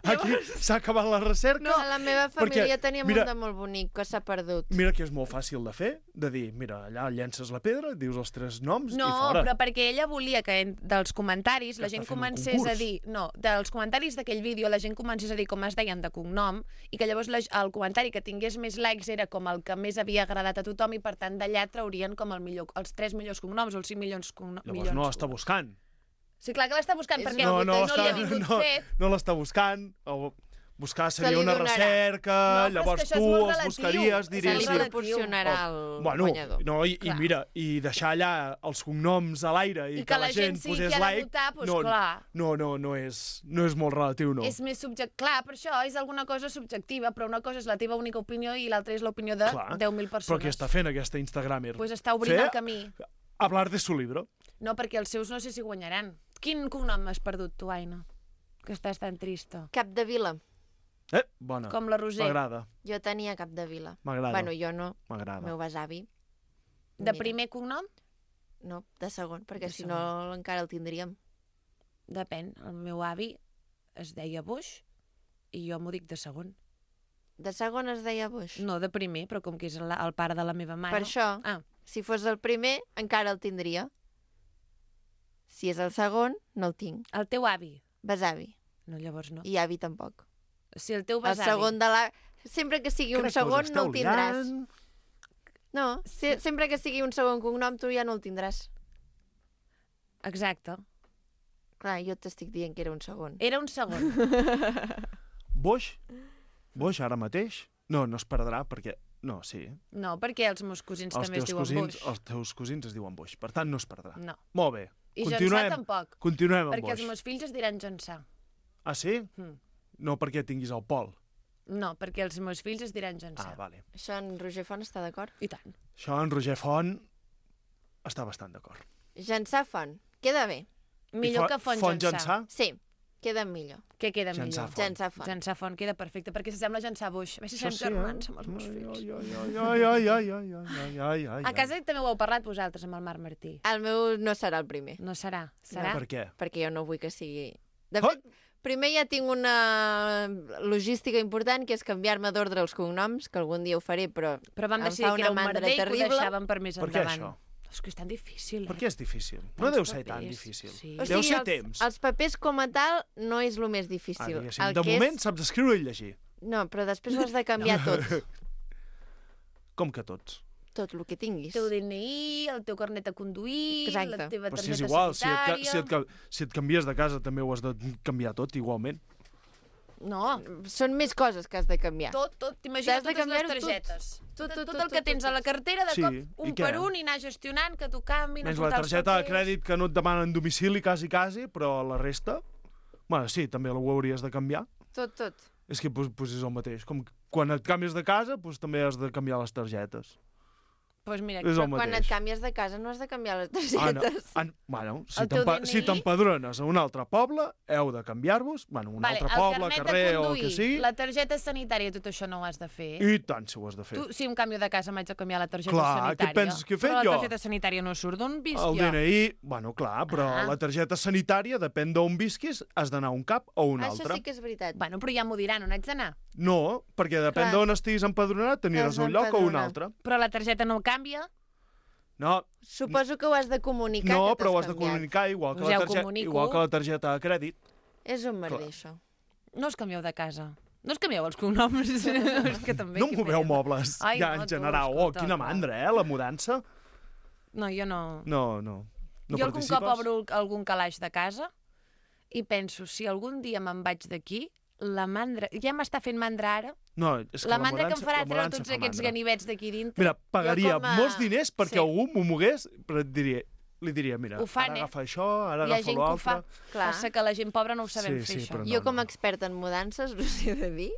Aquí s'ha acabat la recerca? No, a la meva família Perquè, teníem mira, un de molt bonic que s'ha perdut. Mira que és molt fàcil de fer, de dir, mira, allà llences la pedra, dius els 3 noms i fora. No, però perquè ella volia que dels comentaris la gent comencés a dir... No, dels comentaris d'aquell vídeo la gent comencés a dir com es deien de cognom i que llavors el comentari que tingués més likes era com el que més havia agradat a tothom i per tant d'allà traurien com els 3 millors cognoms o els 5 milions cognoms. Llavors no l'està buscant. Sí, clar que l'està buscant, perquè no li ha vingut fet. No l'està buscant, o buscar seria una recerca, llavors tu els buscaries, diries... Se li proporcionarà el guanyador. No, i mira, i deixar allà els cognoms a l'aire i que la gent posés like... No és molt relatiu, no. És més subjectiu. Clar, per això és alguna cosa subjectiva, però una cosa és la teva única opinió i l'altra és l'opinió de 10.000 persones. Però què està fent aquesta Instagramer? Pues està obrint el camí. Hablar de su libro. No, perquè els seus no sé si guanyaran. Quin cognom has perdut tu, Aina? Que estàs tan trista. Capdevila. Bona. Com la Roser. M'agrada. Jo tenia Capdevila. M'agrada. Bueno, jo no. M'agrada. Meu besavi. De primer cognom? No, de segon, perquè si no encara el tindríem. Depèn. El meu avi es deia Bush i jo m'ho dic de segon. De segon es deia Bush? No, de primer, però com que és el pare de la meva mare... Per això, si fos el primer, encara el tindria. Si és el segon, no el tinc. El teu avi? Besavi. No, llavors no. I avi tampoc. Si el teu besavi... El segon de la... Sempre que sigui un segon, no el tindràs. No, sempre que sigui un segon cognom, tu ja no el tindràs. Exacte. Clar, jo t'estic dient que era un segon. Era un segon. Boix, ara mateix? No es perdrà, perquè... No, sí. No, perquè els meus cosins també es diuen Boix. Els teus cosins es diuen Boix, per tant no es perdrà. No. Molt bé. I Jonsà tampoc. Continuem amb perquè Boix. Els meus fills es diran Jonsà. Ah, sí? No perquè tinguis el Pol. No, perquè els meus fills es diran Jonsà. Ah, vale. Això en Roger Font està d'acord? I tant. Això en Roger Font està bastant d'acord. Jonsà Font. Queda bé. Millor que Font Jonsà. Sí, queda millor. Què queda millor? Jonsà Font. Jonsà Font queda perfecte, perquè s'assembla a Jonsà Buix. A veure si serem germans amb els meus fills. A casa també ho heu parlat vosaltres amb el Marc Martí. El meu no serà el primer. No serà. Serà? Per què? Perquè jo no vull que sigui... De fet, primer ja tinc una logística important, que és canviar-me d'ordre els cognoms, que algun dia ho faré, però vam decidir que era un merder i que ho deixàvem per més endavant. Per què això? És que és tan difícil, Per què és difícil? No deu ser tan difícil. Deu ser temps. Els papers com a tal no és el més difícil. De moment saps escriure i llegir. No, però després ho has de canviar tot. Com que tots? Tot el que tinguis. El teu DNI, el teu carnet de conduir, la teva targeta sanitària... Però si és igual, si et canvies de casa també ho has de canviar tot igualment. No. Són més coses que has de canviar. Tot. T'imagina totes les targetes. Tot el que tens a la cartera, de cop, un per un, i anar gestionant, que t'ho canvin... Menys la targeta de crèdit que no et demanen domicili quasi, però la resta... Bueno, sí, també ho hauries de canviar. Tot. És que és el mateix. Com quan et canvies de casa, també has de canviar les targetes. Pues mira, quan et canvies de casa no has de canviar les targetes. Bueno, si t'empadrones a un altre poble, heu de canviar-vos, un altre poble, carrer o el que sigui. La targeta sanitària, tot això no ho has de fer. I tant, si ho has de fer. Tu, si em canvio de casa, m'haig de canviar la targeta sanitària. Què penses que he fet jo? Però la targeta sanitària no surt d'on visc jo. El DNI, clar, però la targeta sanitària, depèn d'on visquis, has d'anar a un cap o un altre. Això sí que és veritat. Bueno, però ja m'ho diran, on haig d'anar? No, perquè depèn d'on estiguis empadronat, t'aniràs a un lloc o un altre. Però la targeta no canvia? No. Suposo que ho has de comunicar. No, però ho has de comunicar igual que la targeta de crèdit. És un merder, això. No us canvieu de casa. No us canvieu els cognoms. No moveu mobles, ja en general. Quina mandra, la mudança. No, jo no. No jo algun cop obro algun calaix de casa i penso, si algun dia me'n vaig d'aquí, la mandra... Ja m'està fent mandra ara. No, és que la mandra que em farà treure tots aquests ganivets d'aquí dintre. Mira, pagaria molts diners perquè algú m'ho mogués, però li diria, mira, ara agafa això, ara agafa l'altre. Passa que la gent pobra no ho sabem fer, això. Jo, com a experta en mudances, us he de dir...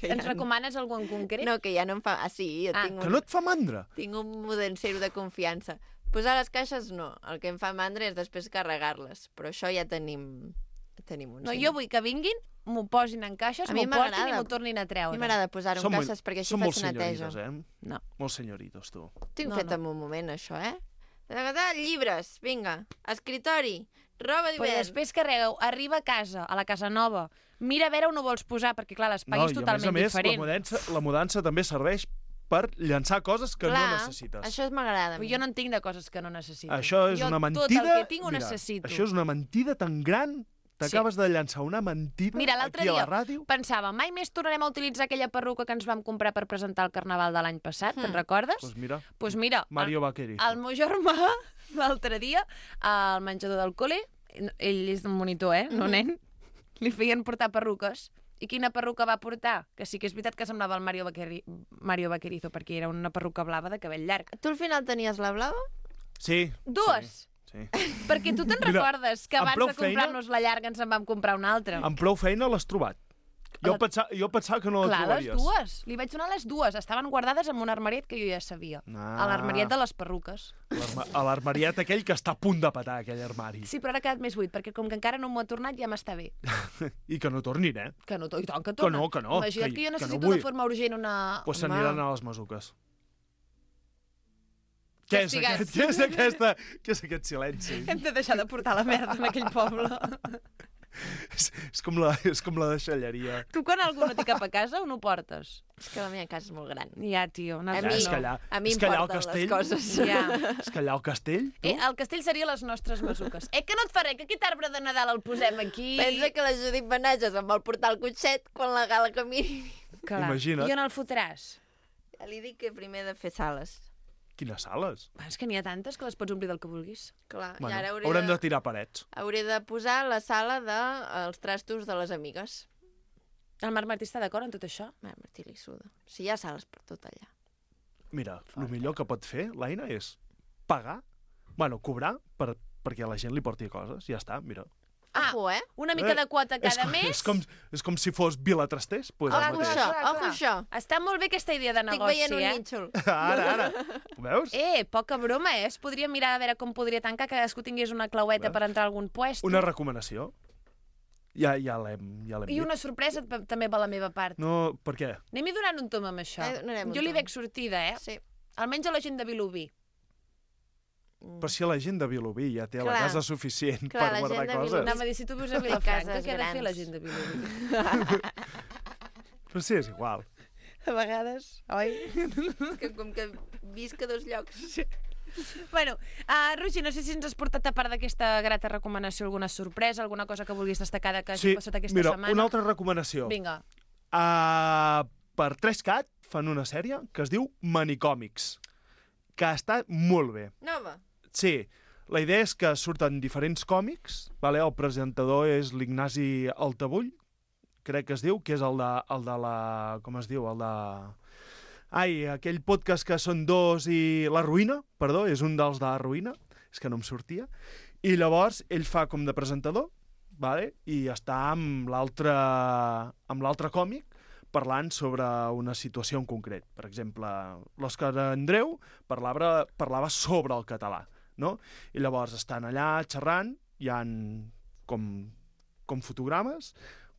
Ens recomanes algú en concret? No, que ja no em fa... Ah, sí, jo tinc que no et fa mandra? Tinc un mudancero de confiança. Posar les caixes, no. El que em fa mandra és després carregar-les. Però això ja tenim un... No, jo vull que vinguin, m'ho posin en caixes, m'ho portin i m'ho tornin a treure. A mi m'agrada posar-ho en caixes perquè així faig neteja. Són molt Molt senyoritos, tu. Tinc fet en un moment, això, Llibres, vinga. Escritori, Roba Però d'hivern. després carregueu, arriba a casa, a la casa nova, mira a veure on ho vols posar, perquè clar, l'espai és totalment diferent. La mudança també serveix per llançar coses que no necessites. Això m'agrada. Jo no en tinc de coses que no necessito. Això és una mentida... Jo tot el que tinc ho necessito. Això és una mentida tan gran. T'acabes de llançar una mentida aquí a la ràdio. Pensava, mai més tornarem a utilitzar aquella perruca que ens vam comprar per presentar el Carnaval de l'any passat, te'n recordes? Doncs mira, Mario Vaquerizo. El meu germà, l'altre dia, al menjador del col·le, ell és un monitor, no nen, li feien portar perruques. I quina perruca va portar? Que sí que és veritat que semblava el Mario Vaquerizo, perquè era una perruca blava de cabell llarg. Tu al final tenies la blava? Sí. Dues? Sí. Perquè tu te'n recordes que abans de comprar-nos la llarga ens en vam comprar una altra. Amb prou feina l'has trobat. Jo pensava que no la trobaries. Clar, les dues. Li vaig donar les dues. Estaven guardades en un armariet que jo ja sabia. A l'armariet de les perruques. A l'armariet aquell que està a punt de petar, aquell armari. Sí, però ara ha quedat més buit, perquè com que encara no m'ho ha tornat, ja m'està bé. I que no tornin, eh? Que no, i tant que torna. Que no. Imagina't que jo necessito de forma urgent una... Doncs s'aniran a les Masuques. Què és aquest silenci? Hem de deixar de portar la merda en aquell poble. És com la deixalleria. Tu quan algú no té cap a casa, on ho portes? És que la meva casa és molt gran. Ja, tio. A mi em porten les coses. És que allà al castell, tu? El castell seria les nostres Masuques. Que no et fa res, que aquest arbre de Nadal el posem aquí... Pensa que la Judit Benages em vol portar el cotxet quan la Gala camini. Imagina't. I on el fotràs? Ja li dic que primer he de fer sales. Quines sales? És que n'hi ha tantes que les pots omplir del que vulguis. Clar, bueno, i ara haurem de tirar parets. Hauré de posar la sala dels trastos de les amigues. El Marc Martí està d'acord en tot això? Marc Martí li suda. Si hi ha sales per tot allà. Mira, el millor que pot fer l'Aina és pagar, cobrar perquè la gent li porti coses. Ja està, mira. Una mica de quota cada mes. És com si fos Vila Trasters. Ojo això. Està molt bé aquesta idea de negoci, Estic veient un nínxol. Ara. Ho veus? Poca broma, es podria mirar a veure com podria tancar, que cadascú tingués una claueta per entrar a algun puesto. Una recomanació. Ja l'hem dit. I una sorpresa també per la meva part. No, per què? Anem-hi donant un tom amb això. Jo li veig sortida, Sí. Almenys a la gent de Vilobí. Però si la gent de Vilobí ja té la casa suficient per guardar coses. Anava a dir, si tu vius a Vilafranca, què ha de fer la gent de Vilobí? Però sí, és igual. A vegades, oi? Que com que visc a dos llocs. Sí. Bueno, Roger, no sé si ens has portat, a part d'aquesta grata recomanació, alguna sorpresa, alguna cosa que vulguis destacar que hagi passat aquesta setmana? Una altra recomanació. Vinga. Per 3CAT fan una sèrie que es diu Manicòmics, que està molt bé. Nova? Sí, la idea és que surten diferents còmics, el presentador és l'Ignasi Altabull, crec que es diu, que és el de la... com es diu? El de... aquell podcast que són dos i... La Ruïna, perdó, és un dels de La Ruïna, és que no em sortia, i llavors ell fa com de presentador, i està amb l'altre còmic, parlant sobre una situació en concret. Per exemple, l'Òscar Andreu parlava sobre el català, no? I llavors estan allà xerrant, hi ha com fotogrames,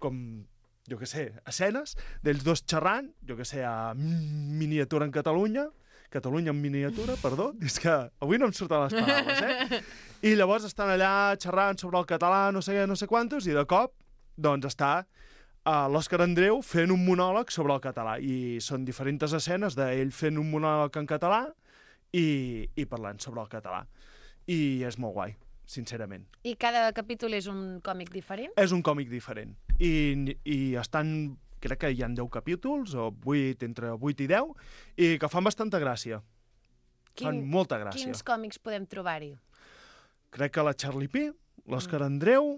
com, jo què sé, escenes d'ells dos xerrant, jo què sé, a miniatura en Catalunya en miniatura, perdó, és que avui no em surten les paraules, I llavors estan allà xerrant sobre el català, no sé quantos, i de cop, doncs està l'Òscar Andreu fent un monòleg sobre el català, i són diferents escenes d'ell fent un monòleg en català i parlant sobre el català. I és molt guai, sincerament. I cada capítol és un còmic diferent? És un còmic diferent. I estan, crec que hi ha 10 capítols, o 8, entre 8 i 10, i que fan bastanta gràcia. Fan molta gràcia. Quins còmics podem trobar-hi? Crec que la Charlie P., l'Òscar Andreu,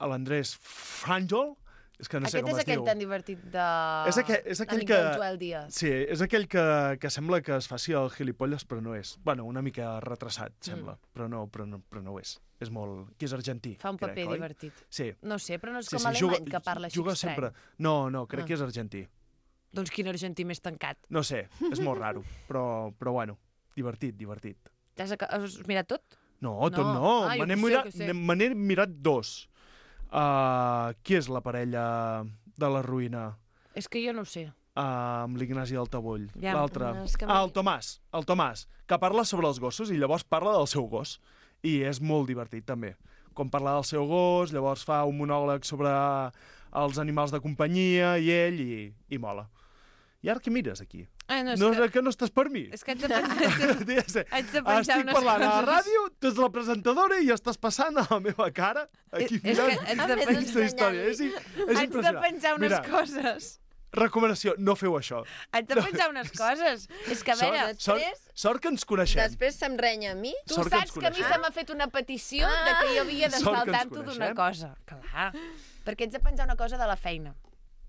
l'Andrés Fràngol, és que no sé com es diu. Aquest és aquell tan divertit de... És aquell que... Joel Díaz. Sí, és aquell que sembla que es faci el gilipolles, però no és. Bueno, una mica retrasat, sembla, però no ho és. És molt... que és argentí, fa un paper divertit. Sí. No sé, però no és com alemany, que parla així estrany. No, crec que és argentí. Doncs quin argentí més tancat. No sé, és molt raro, però bueno, divertit. Has mirat tot? No, tot no. Me n'he mirat 2. Qui és la parella de La Ruïna? És que jo no ho sé. Amb l'Ignasi Altabull. Ja, l'altre. El Tomàs, que parla sobre els gossos i llavors parla del seu gos. i és molt divertit, també. Com parla del seu gos, llavors fa un monòleg sobre els animals de companyia i ell, i mola. I ara què mires aquí? Que no estàs per mi? És que haig de penjar Estic parlant a la ràdio, tu ets la presentadora i estàs passant a la meva cara aquí mirant aquesta història. És impressionant. Haig de penjar unes coses. Recomanació, no feu això. Haig de penjar unes coses. És que, a veure... Sort que ens coneixem. Després se'm renya a mi. Tu saps que a mi se m'ha fet una petició de que jo havia d'estar al tanto d'una cosa. Clar, perquè ets de penjar una cosa de la feina.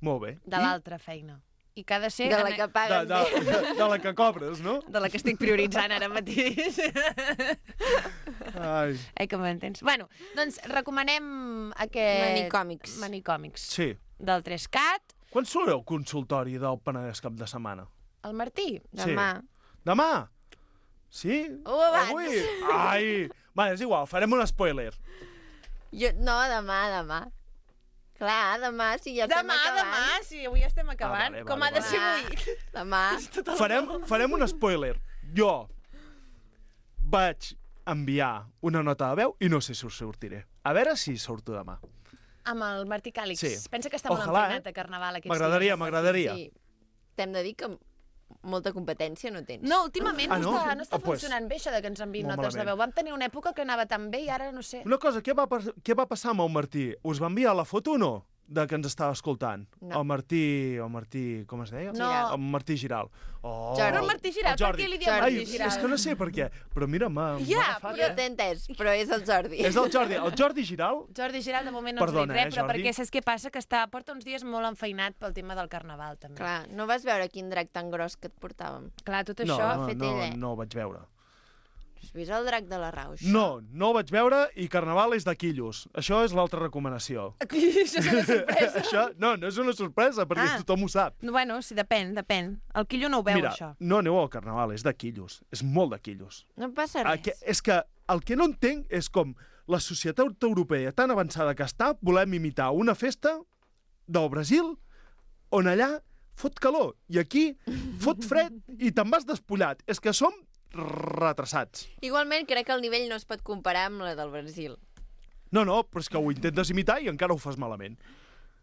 Molt bé. De l'altra feina. I que ha de ser... De la que paguen bé. De la que cobres, no? De la que estic prioritzant ara mateix. Ai. Que m'entens. Bueno, doncs recomanem aquest... Manicòmics. Sí. Del 3CAT. Quan surt el consultori del Penedès cap de setmana? El Martí? Demà. Demà? Sí? O abans. Avui? Ai! Va, és igual, farem un spoiler. No, demà. Clar, demà, si ja estem acabant. Demà, si avui estem acabant. Vale, com ha de ser avui. Demà. Farem un spoiler. Jo vaig enviar una nota de veu i no sé si us sortiré. A veure si surto demà. Amb el Martí Càlix. Sí. Pensa que està molt enfeinat a Carnaval aquests dies. M'agradaria. Sí. T'hem de dir que molta competència no tens. No, últimament no està pues, funcionant bé això de que ens enviïn notes malament. de veu. Vam tenir una època que anava tan bé i ara no sé. Una cosa, què va passar amb el Martí? Us va enviar la foto o no? De que ens estava escoltant. No. El Martí, com es deia? No. El Martí Giral. Oh, Però el Martí Giral, per què li diem Martí Giral? És que no sé per què, però mira, m'ha agafat. Ja t'he entès, però és el Jordi. És el Jordi. El Jordi Giral? Jordi Giral de moment no ens dic res, però perquè saps què passa? Que porta uns dies molt enfeinat pel tema del Carnaval, també. Clar, no vas veure quin drac tan gros que et portàvem? Clar, tot això ha fet ell, No ho vaig veure. Has vist el drac de la Rauix? No ho vaig veure i Carnaval és de quillos. Això és l'altra recomanació. Això és una sorpresa. No és una sorpresa, perquè tothom ho sap. Bueno, sí, depèn. El quillo no ho veu, això. Mira, no aneu al Carnaval, és de quillos. És molt de quillos. No passa res. És que el que no entenc és com la societat europea tan avançada que està, volem imitar una festa del Brasil on allà fot calor i aquí fot fred i te'n vas despullat. És que som retrasats. Igualment, crec que el nivell no es pot comparar amb la del Brasil. No, però és que ho intentes imitar i encara ho fas malament.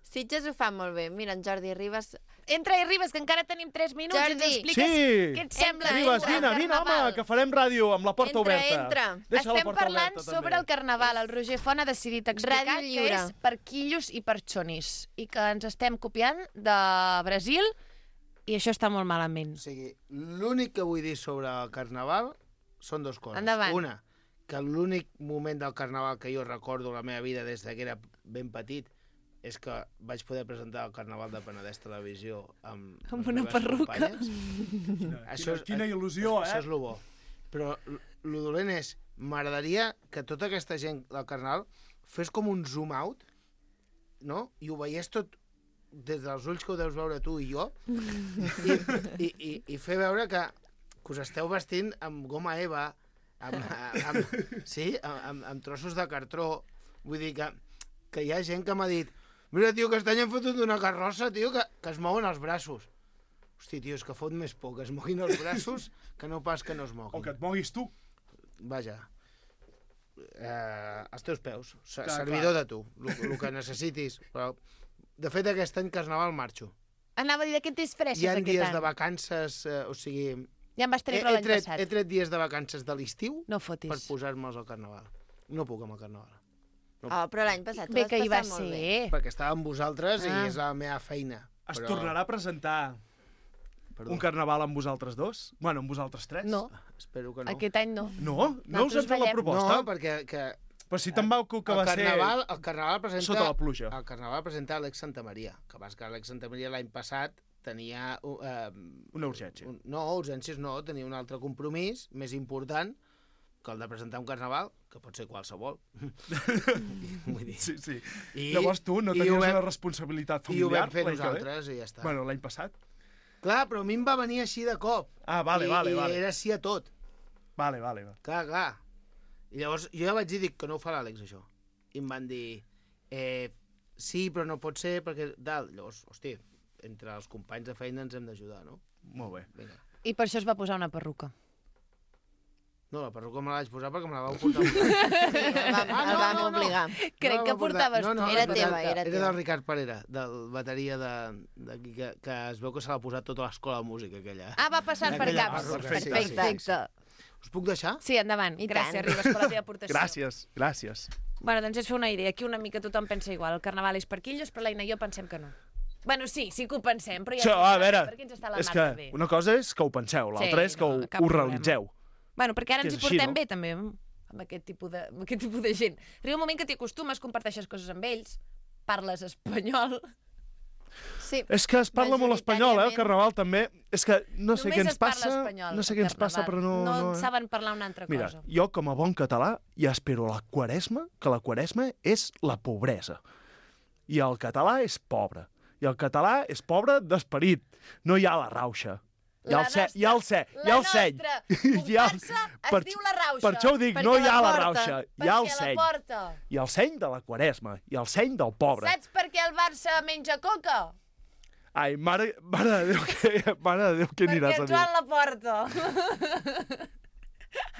Sitges ho fa molt bé. Mira, en Jordi Ribas... Entra i Ribas, que encara tenim 3 minuts. Jordi. I ens expliques què et sembla. Ribas, vine, home, que farem ràdio amb la porta oberta. Entra. Estem parlant sobre el Carnaval. El Roger Font ha decidit explicar que és per quillos i per xonis. I que ens estem copiant de Brasil. I això està molt malament. O sigui, l'únic que vull dir sobre el Carnaval són dues coses. Endavant. Una, que l'únic moment del Carnaval que jo recordo la meva vida des que era ben petit és que vaig poder presentar el Carnaval de Penedès Televisió amb una perruca. Quina il·lusió, Això és el bo. Però el dolent és, m'agradaria que tota aquesta gent del Carnaval fes com un zoom out, no? I ho veiés tot des dels ulls que ho deus veure tu i jo, i fer veure que us esteu vestint amb goma eva, amb trossos de cartró. Vull dir que hi ha gent que m'ha dit mira, tio, que estany han fotut una carrossa, tio, que es mouen els braços. Hosti, tio, és que fot més por que es moguin els braços que no pas que no es moguin. O que et moguis tu. Vaja. Els teus peus. Servidor de tu. El que necessitis. Però, de fet, aquest any Carnaval marxo. Anava a dir de què et disfresses aquest any. Hi ha dies any? de vacances, o sigui... Ja em vas treure l'any passat. He tret dies de vacances de l'estiu per posar-me'ls al Carnaval. No puc amb el Carnaval. No. Però l'any passat bé que hi va ser. Perquè estava amb vosaltres i és la meva feina. Es tornarà a presentar un Carnaval amb vosaltres dos? Bueno, amb vosaltres tres? No. Espero que no. Aquest any no. No? No us han fet la proposta? No, perquè... Però si te'n vau que va ser... El Carnaval presenta... Sota la pluja. El Carnaval presenta Alex Santamaria. Que vas que Alex Santamaria l'any passat tenia... una urgència. No, urgències no. Tenia un altre compromís més important que el de presentar un Carnaval, que pot ser qualsevol. Vull dir. Sí. Llavors tu no tenies una responsabilitat familiar? I ho vam fer nosaltres i ja està. Bueno, l'any passat? Clar, però a mi em va venir així de cop. Ah, vale. I era sí a tot. Vale. Clar. I llavors jo ja vaig dir que no ho fa l'Àlex, això. I em van dir, sí, però no pot ser perquè... Llavors, hosti, entre els companys de feina ens hem d'ajudar, no? Molt bé. Vinga. I per això es va posar una perruca. No, la perruca me la vaig posar perquè me la vau portar. El vam obligar. Crec que portaves tu. Era teva, era del Ricard Parera, del bateria d'aquí, que es veu que se l'ha posat tota l'escola de música, aquella. Va passant per caps. Perfecte. Us puc deixar? Sí, endavant. Gràcies, Ribas, per la teva aportació. Gràcies. Bueno, doncs és fer una idea. Aquí una mica tothom pensa igual. El carnaval és per quillos, però l'Aina i jo pensem que no. Bueno, sí que ho pensem, però ja... A veure, per què ens està la és mar que de bé? una cosa és que ho penseu, l'altra és que ho realitzeu. Bueno, perquè ara ens hi portem bé, també, amb aquest tipus de gent. Arriba un moment que t'hi acostumes, comparteixes coses amb ells, parles espanyol... Sí. És que es parla molt espanyol, el carnaval també. És que no sé què ens passa... No sé què ens passa, però no... No saben parlar una altra cosa. Mira, jo com a bon català ja espero la Quaresma, que la Quaresma és la pobresa. I el català és pobre. I el català és pobre d'esperit. No hi ha la rauxa. Hi ha el seny. La nostra comparsa es diu la rauxa. Per això ho dic, no hi ha la rauxa. Hi ha el Perquè seny. la porta. Hi ha el seny de la Quaresma. I el seny del pobre. Saps per què el Barça menja coca? Ai, mare de Déu, què aniràs a dir? Perquè el Joan la porta.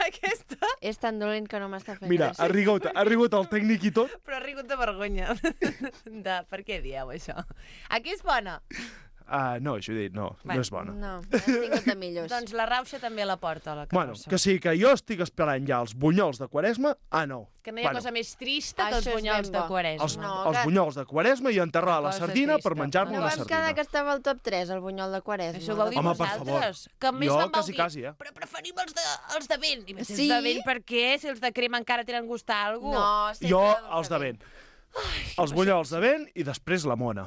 Aquesta... És tan dolent que no m'està fent Mira, ha rigut el tècnic i tot. Però ha rigut de vergonya. Per què dieu això? Aquí és bona. No, Judit, no és bona. No, has tingut de millors. Doncs la rauxa també la porta, la Bueno, carrossa. que sí, que jo estic esperant ja els bunyols de Quaresma, no. Que no hi ha cosa més trista que els bunyols de Quaresma. Els bunyols de Quaresma i enterrar la sardina per menjar-me No una vam sardina. quedar que estava al top 3, el bunyol de Quaresma. Això ho vau dir Home, per vosaltres. favor. Que més Jo vam quasi, dir, eh? però preferim els de vent. I Sí? els de vent per què? Si els de crema encara tenen gust a algú. No, Jo, els de vent. Els bunyols de vent i després la mona.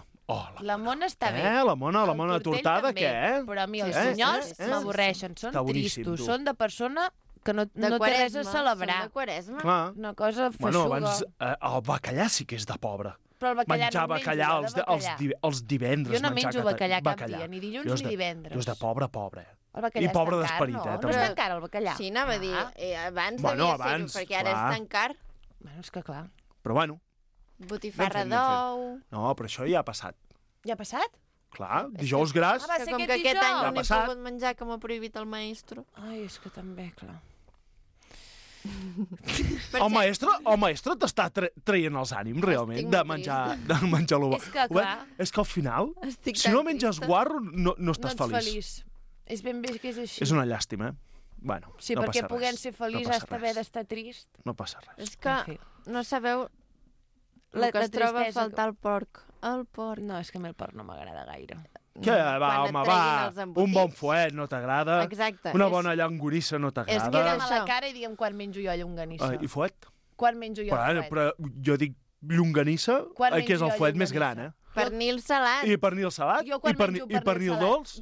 La mona està bé. La mona El tortell tortada, també, què? Però a mi els bunyols m'avorreixen. Són Està boníssim, tristos, tu. són de persona que no té res a celebrar. De Quaresma. Clar. Una cosa feixuga. Bueno, abans el bacallà sí que és de pobre. Però el bacallà Menjar no menjo, bacallà jo de bacallà. els divendres. Jo no menjar menjo bacallà cap dia, ni dilluns ni divendres. Jo és de pobre. El bacallà I pobre és tan car, d'esperit, no? també. No és tan car el bacallà. Sí, anava a dir, abans Bueno, devia ser-ho, abans, perquè ara clar. és tan car. Bueno, és que clar. Però bueno. Botifarra Ben fet. d'ou... No, però això ja ha passat. Ja ha passat? Clar, dijous gras... va Que ser com aquest que aquest any dijous. no n'he passat. pogut menjar, que m'ha prohibit el maestro. Ai, és que també, clar. El maestro t'està traient els ànims, realment, Estic de molt menjar l'uva. És que, clar. És que al final, Estic si tan no menges trista. guarro, no No estàs ets feliç. feliç. És ben bé que és així. És una llàstima, Bueno, Sí, no perquè passa puguem res. ser feliç no has passa d'haver res. d'estar trist. No passa res. És que En fi. no sabeu La- el que la es troba a tristesa faltar el porc. El porc. No, és que a mi el porc no m'agrada gaire. Què, va, Quan et home, treguin els va, embotits. un bon fuet no t'agrada, Exacte. una és- bona llongorissa no És que t'agrada. era Mira'm a la això. cara i digue'm quan menjo jo llonganissa. I fuet? Quan menjo jo Bueno, fuet. però jo dic llonganissa, Quan que és menjo el jo fuet més llonganissa? gran, Pernil salat. I pernil salat, Jo quan menjo i pernil salat- dolç.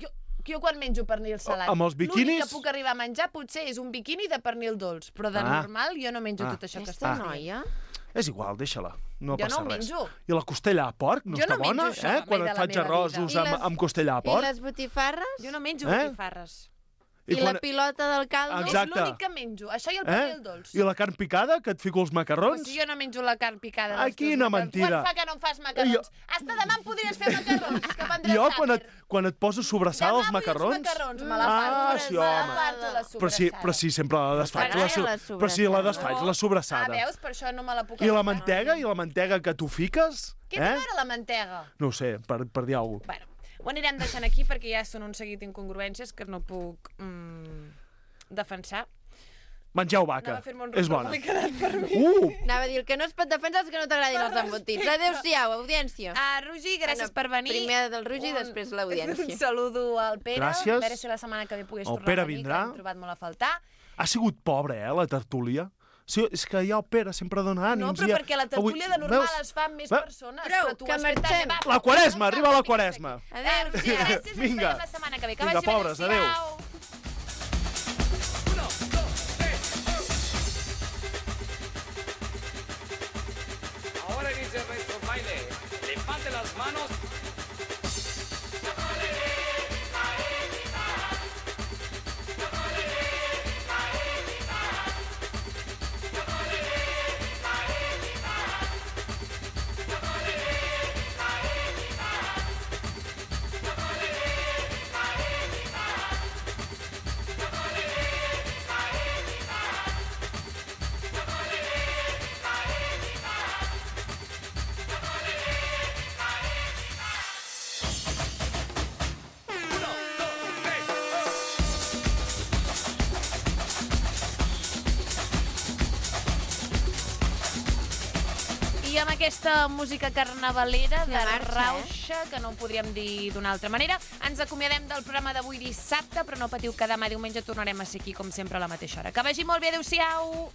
Jo quan menjo pernil salat. Amb els biquinis? L'únic que puc arribar a menjar potser és un biquini de pernil dolç, però de normal jo no menjo tot això que Aquesta està noia... És igual, deixa-la, no Jo passa no ho res. menjo. I la costella a porc no Jo està no menjo bona, això mai Quan de et la faig meva arrossos vida. I les- amb costella a I porc? les botifarres? Jo no menjo Eh? botifarres. I la pilota del caldo? Exacte. És l'únic que menjo. Això i el pernil dolç. I la carn picada, que et fico els Però macarrons? si jo no menjo la carn picada dels Ai, quina teus macarrons. mentida. Quan fa que no em fas macarrons? Hasta demà em podries fer macarrons, que prendré Jo, tàper. quan et poso sobrassada als Demà vull uns macarrons... macarrons, me la parto. sí, me la home. parto la Però si sempre la desfaig, M'agrada la però si la desfaig, la Ah, sobrassada. veus? Per això no me la puc I la agafar. mantega que tu fiques? Què té a veure la mantega? No ho sé, per dir alguna cosa. Bueno, ho anirem deixant aquí perquè ja són un seguit d'incongruències que no puc defensar. Mengeu Anava vaca, a fer-me un és rotó, bona. m'he quedat per mi. Anava a dir, el que no es pot defensar és que no t'agradin els embotits. Adéu-siau, audiència. Roger, gràcies per venir. Primer del Roger i després l'audiència. Un saludo al Pere. Gràcies. A veure si la setmana que ve pogués El tornar Pere a venir, vindrà. que l'hem trobat molt a faltar. Ha sigut pobra, la tertúlia. Sí, és que ja el Pere sempre dona ànims. No, però perquè la tertúlia de normal es fa amb més persones. Prou, però tu que has fet marxem. també. La Quaresma, arriba la Quaresma. Adéu, Roger, gràcies. Ens Vinga. veiem la setmana que ve. Que Vinga, vagi bé, pobres, adéu. adéu-siau. Ahora inicia nuestro baile. Levante las manos. I amb aquesta música carnavalera de marxa, rauxa, que no ho podríem dir d'una altra manera, ens acomiadem del programa d'avui dissabte, però no patiu que demà diumenge tornarem a ser aquí, com sempre, a la mateixa hora. Que vagi molt bé, adeu-siau!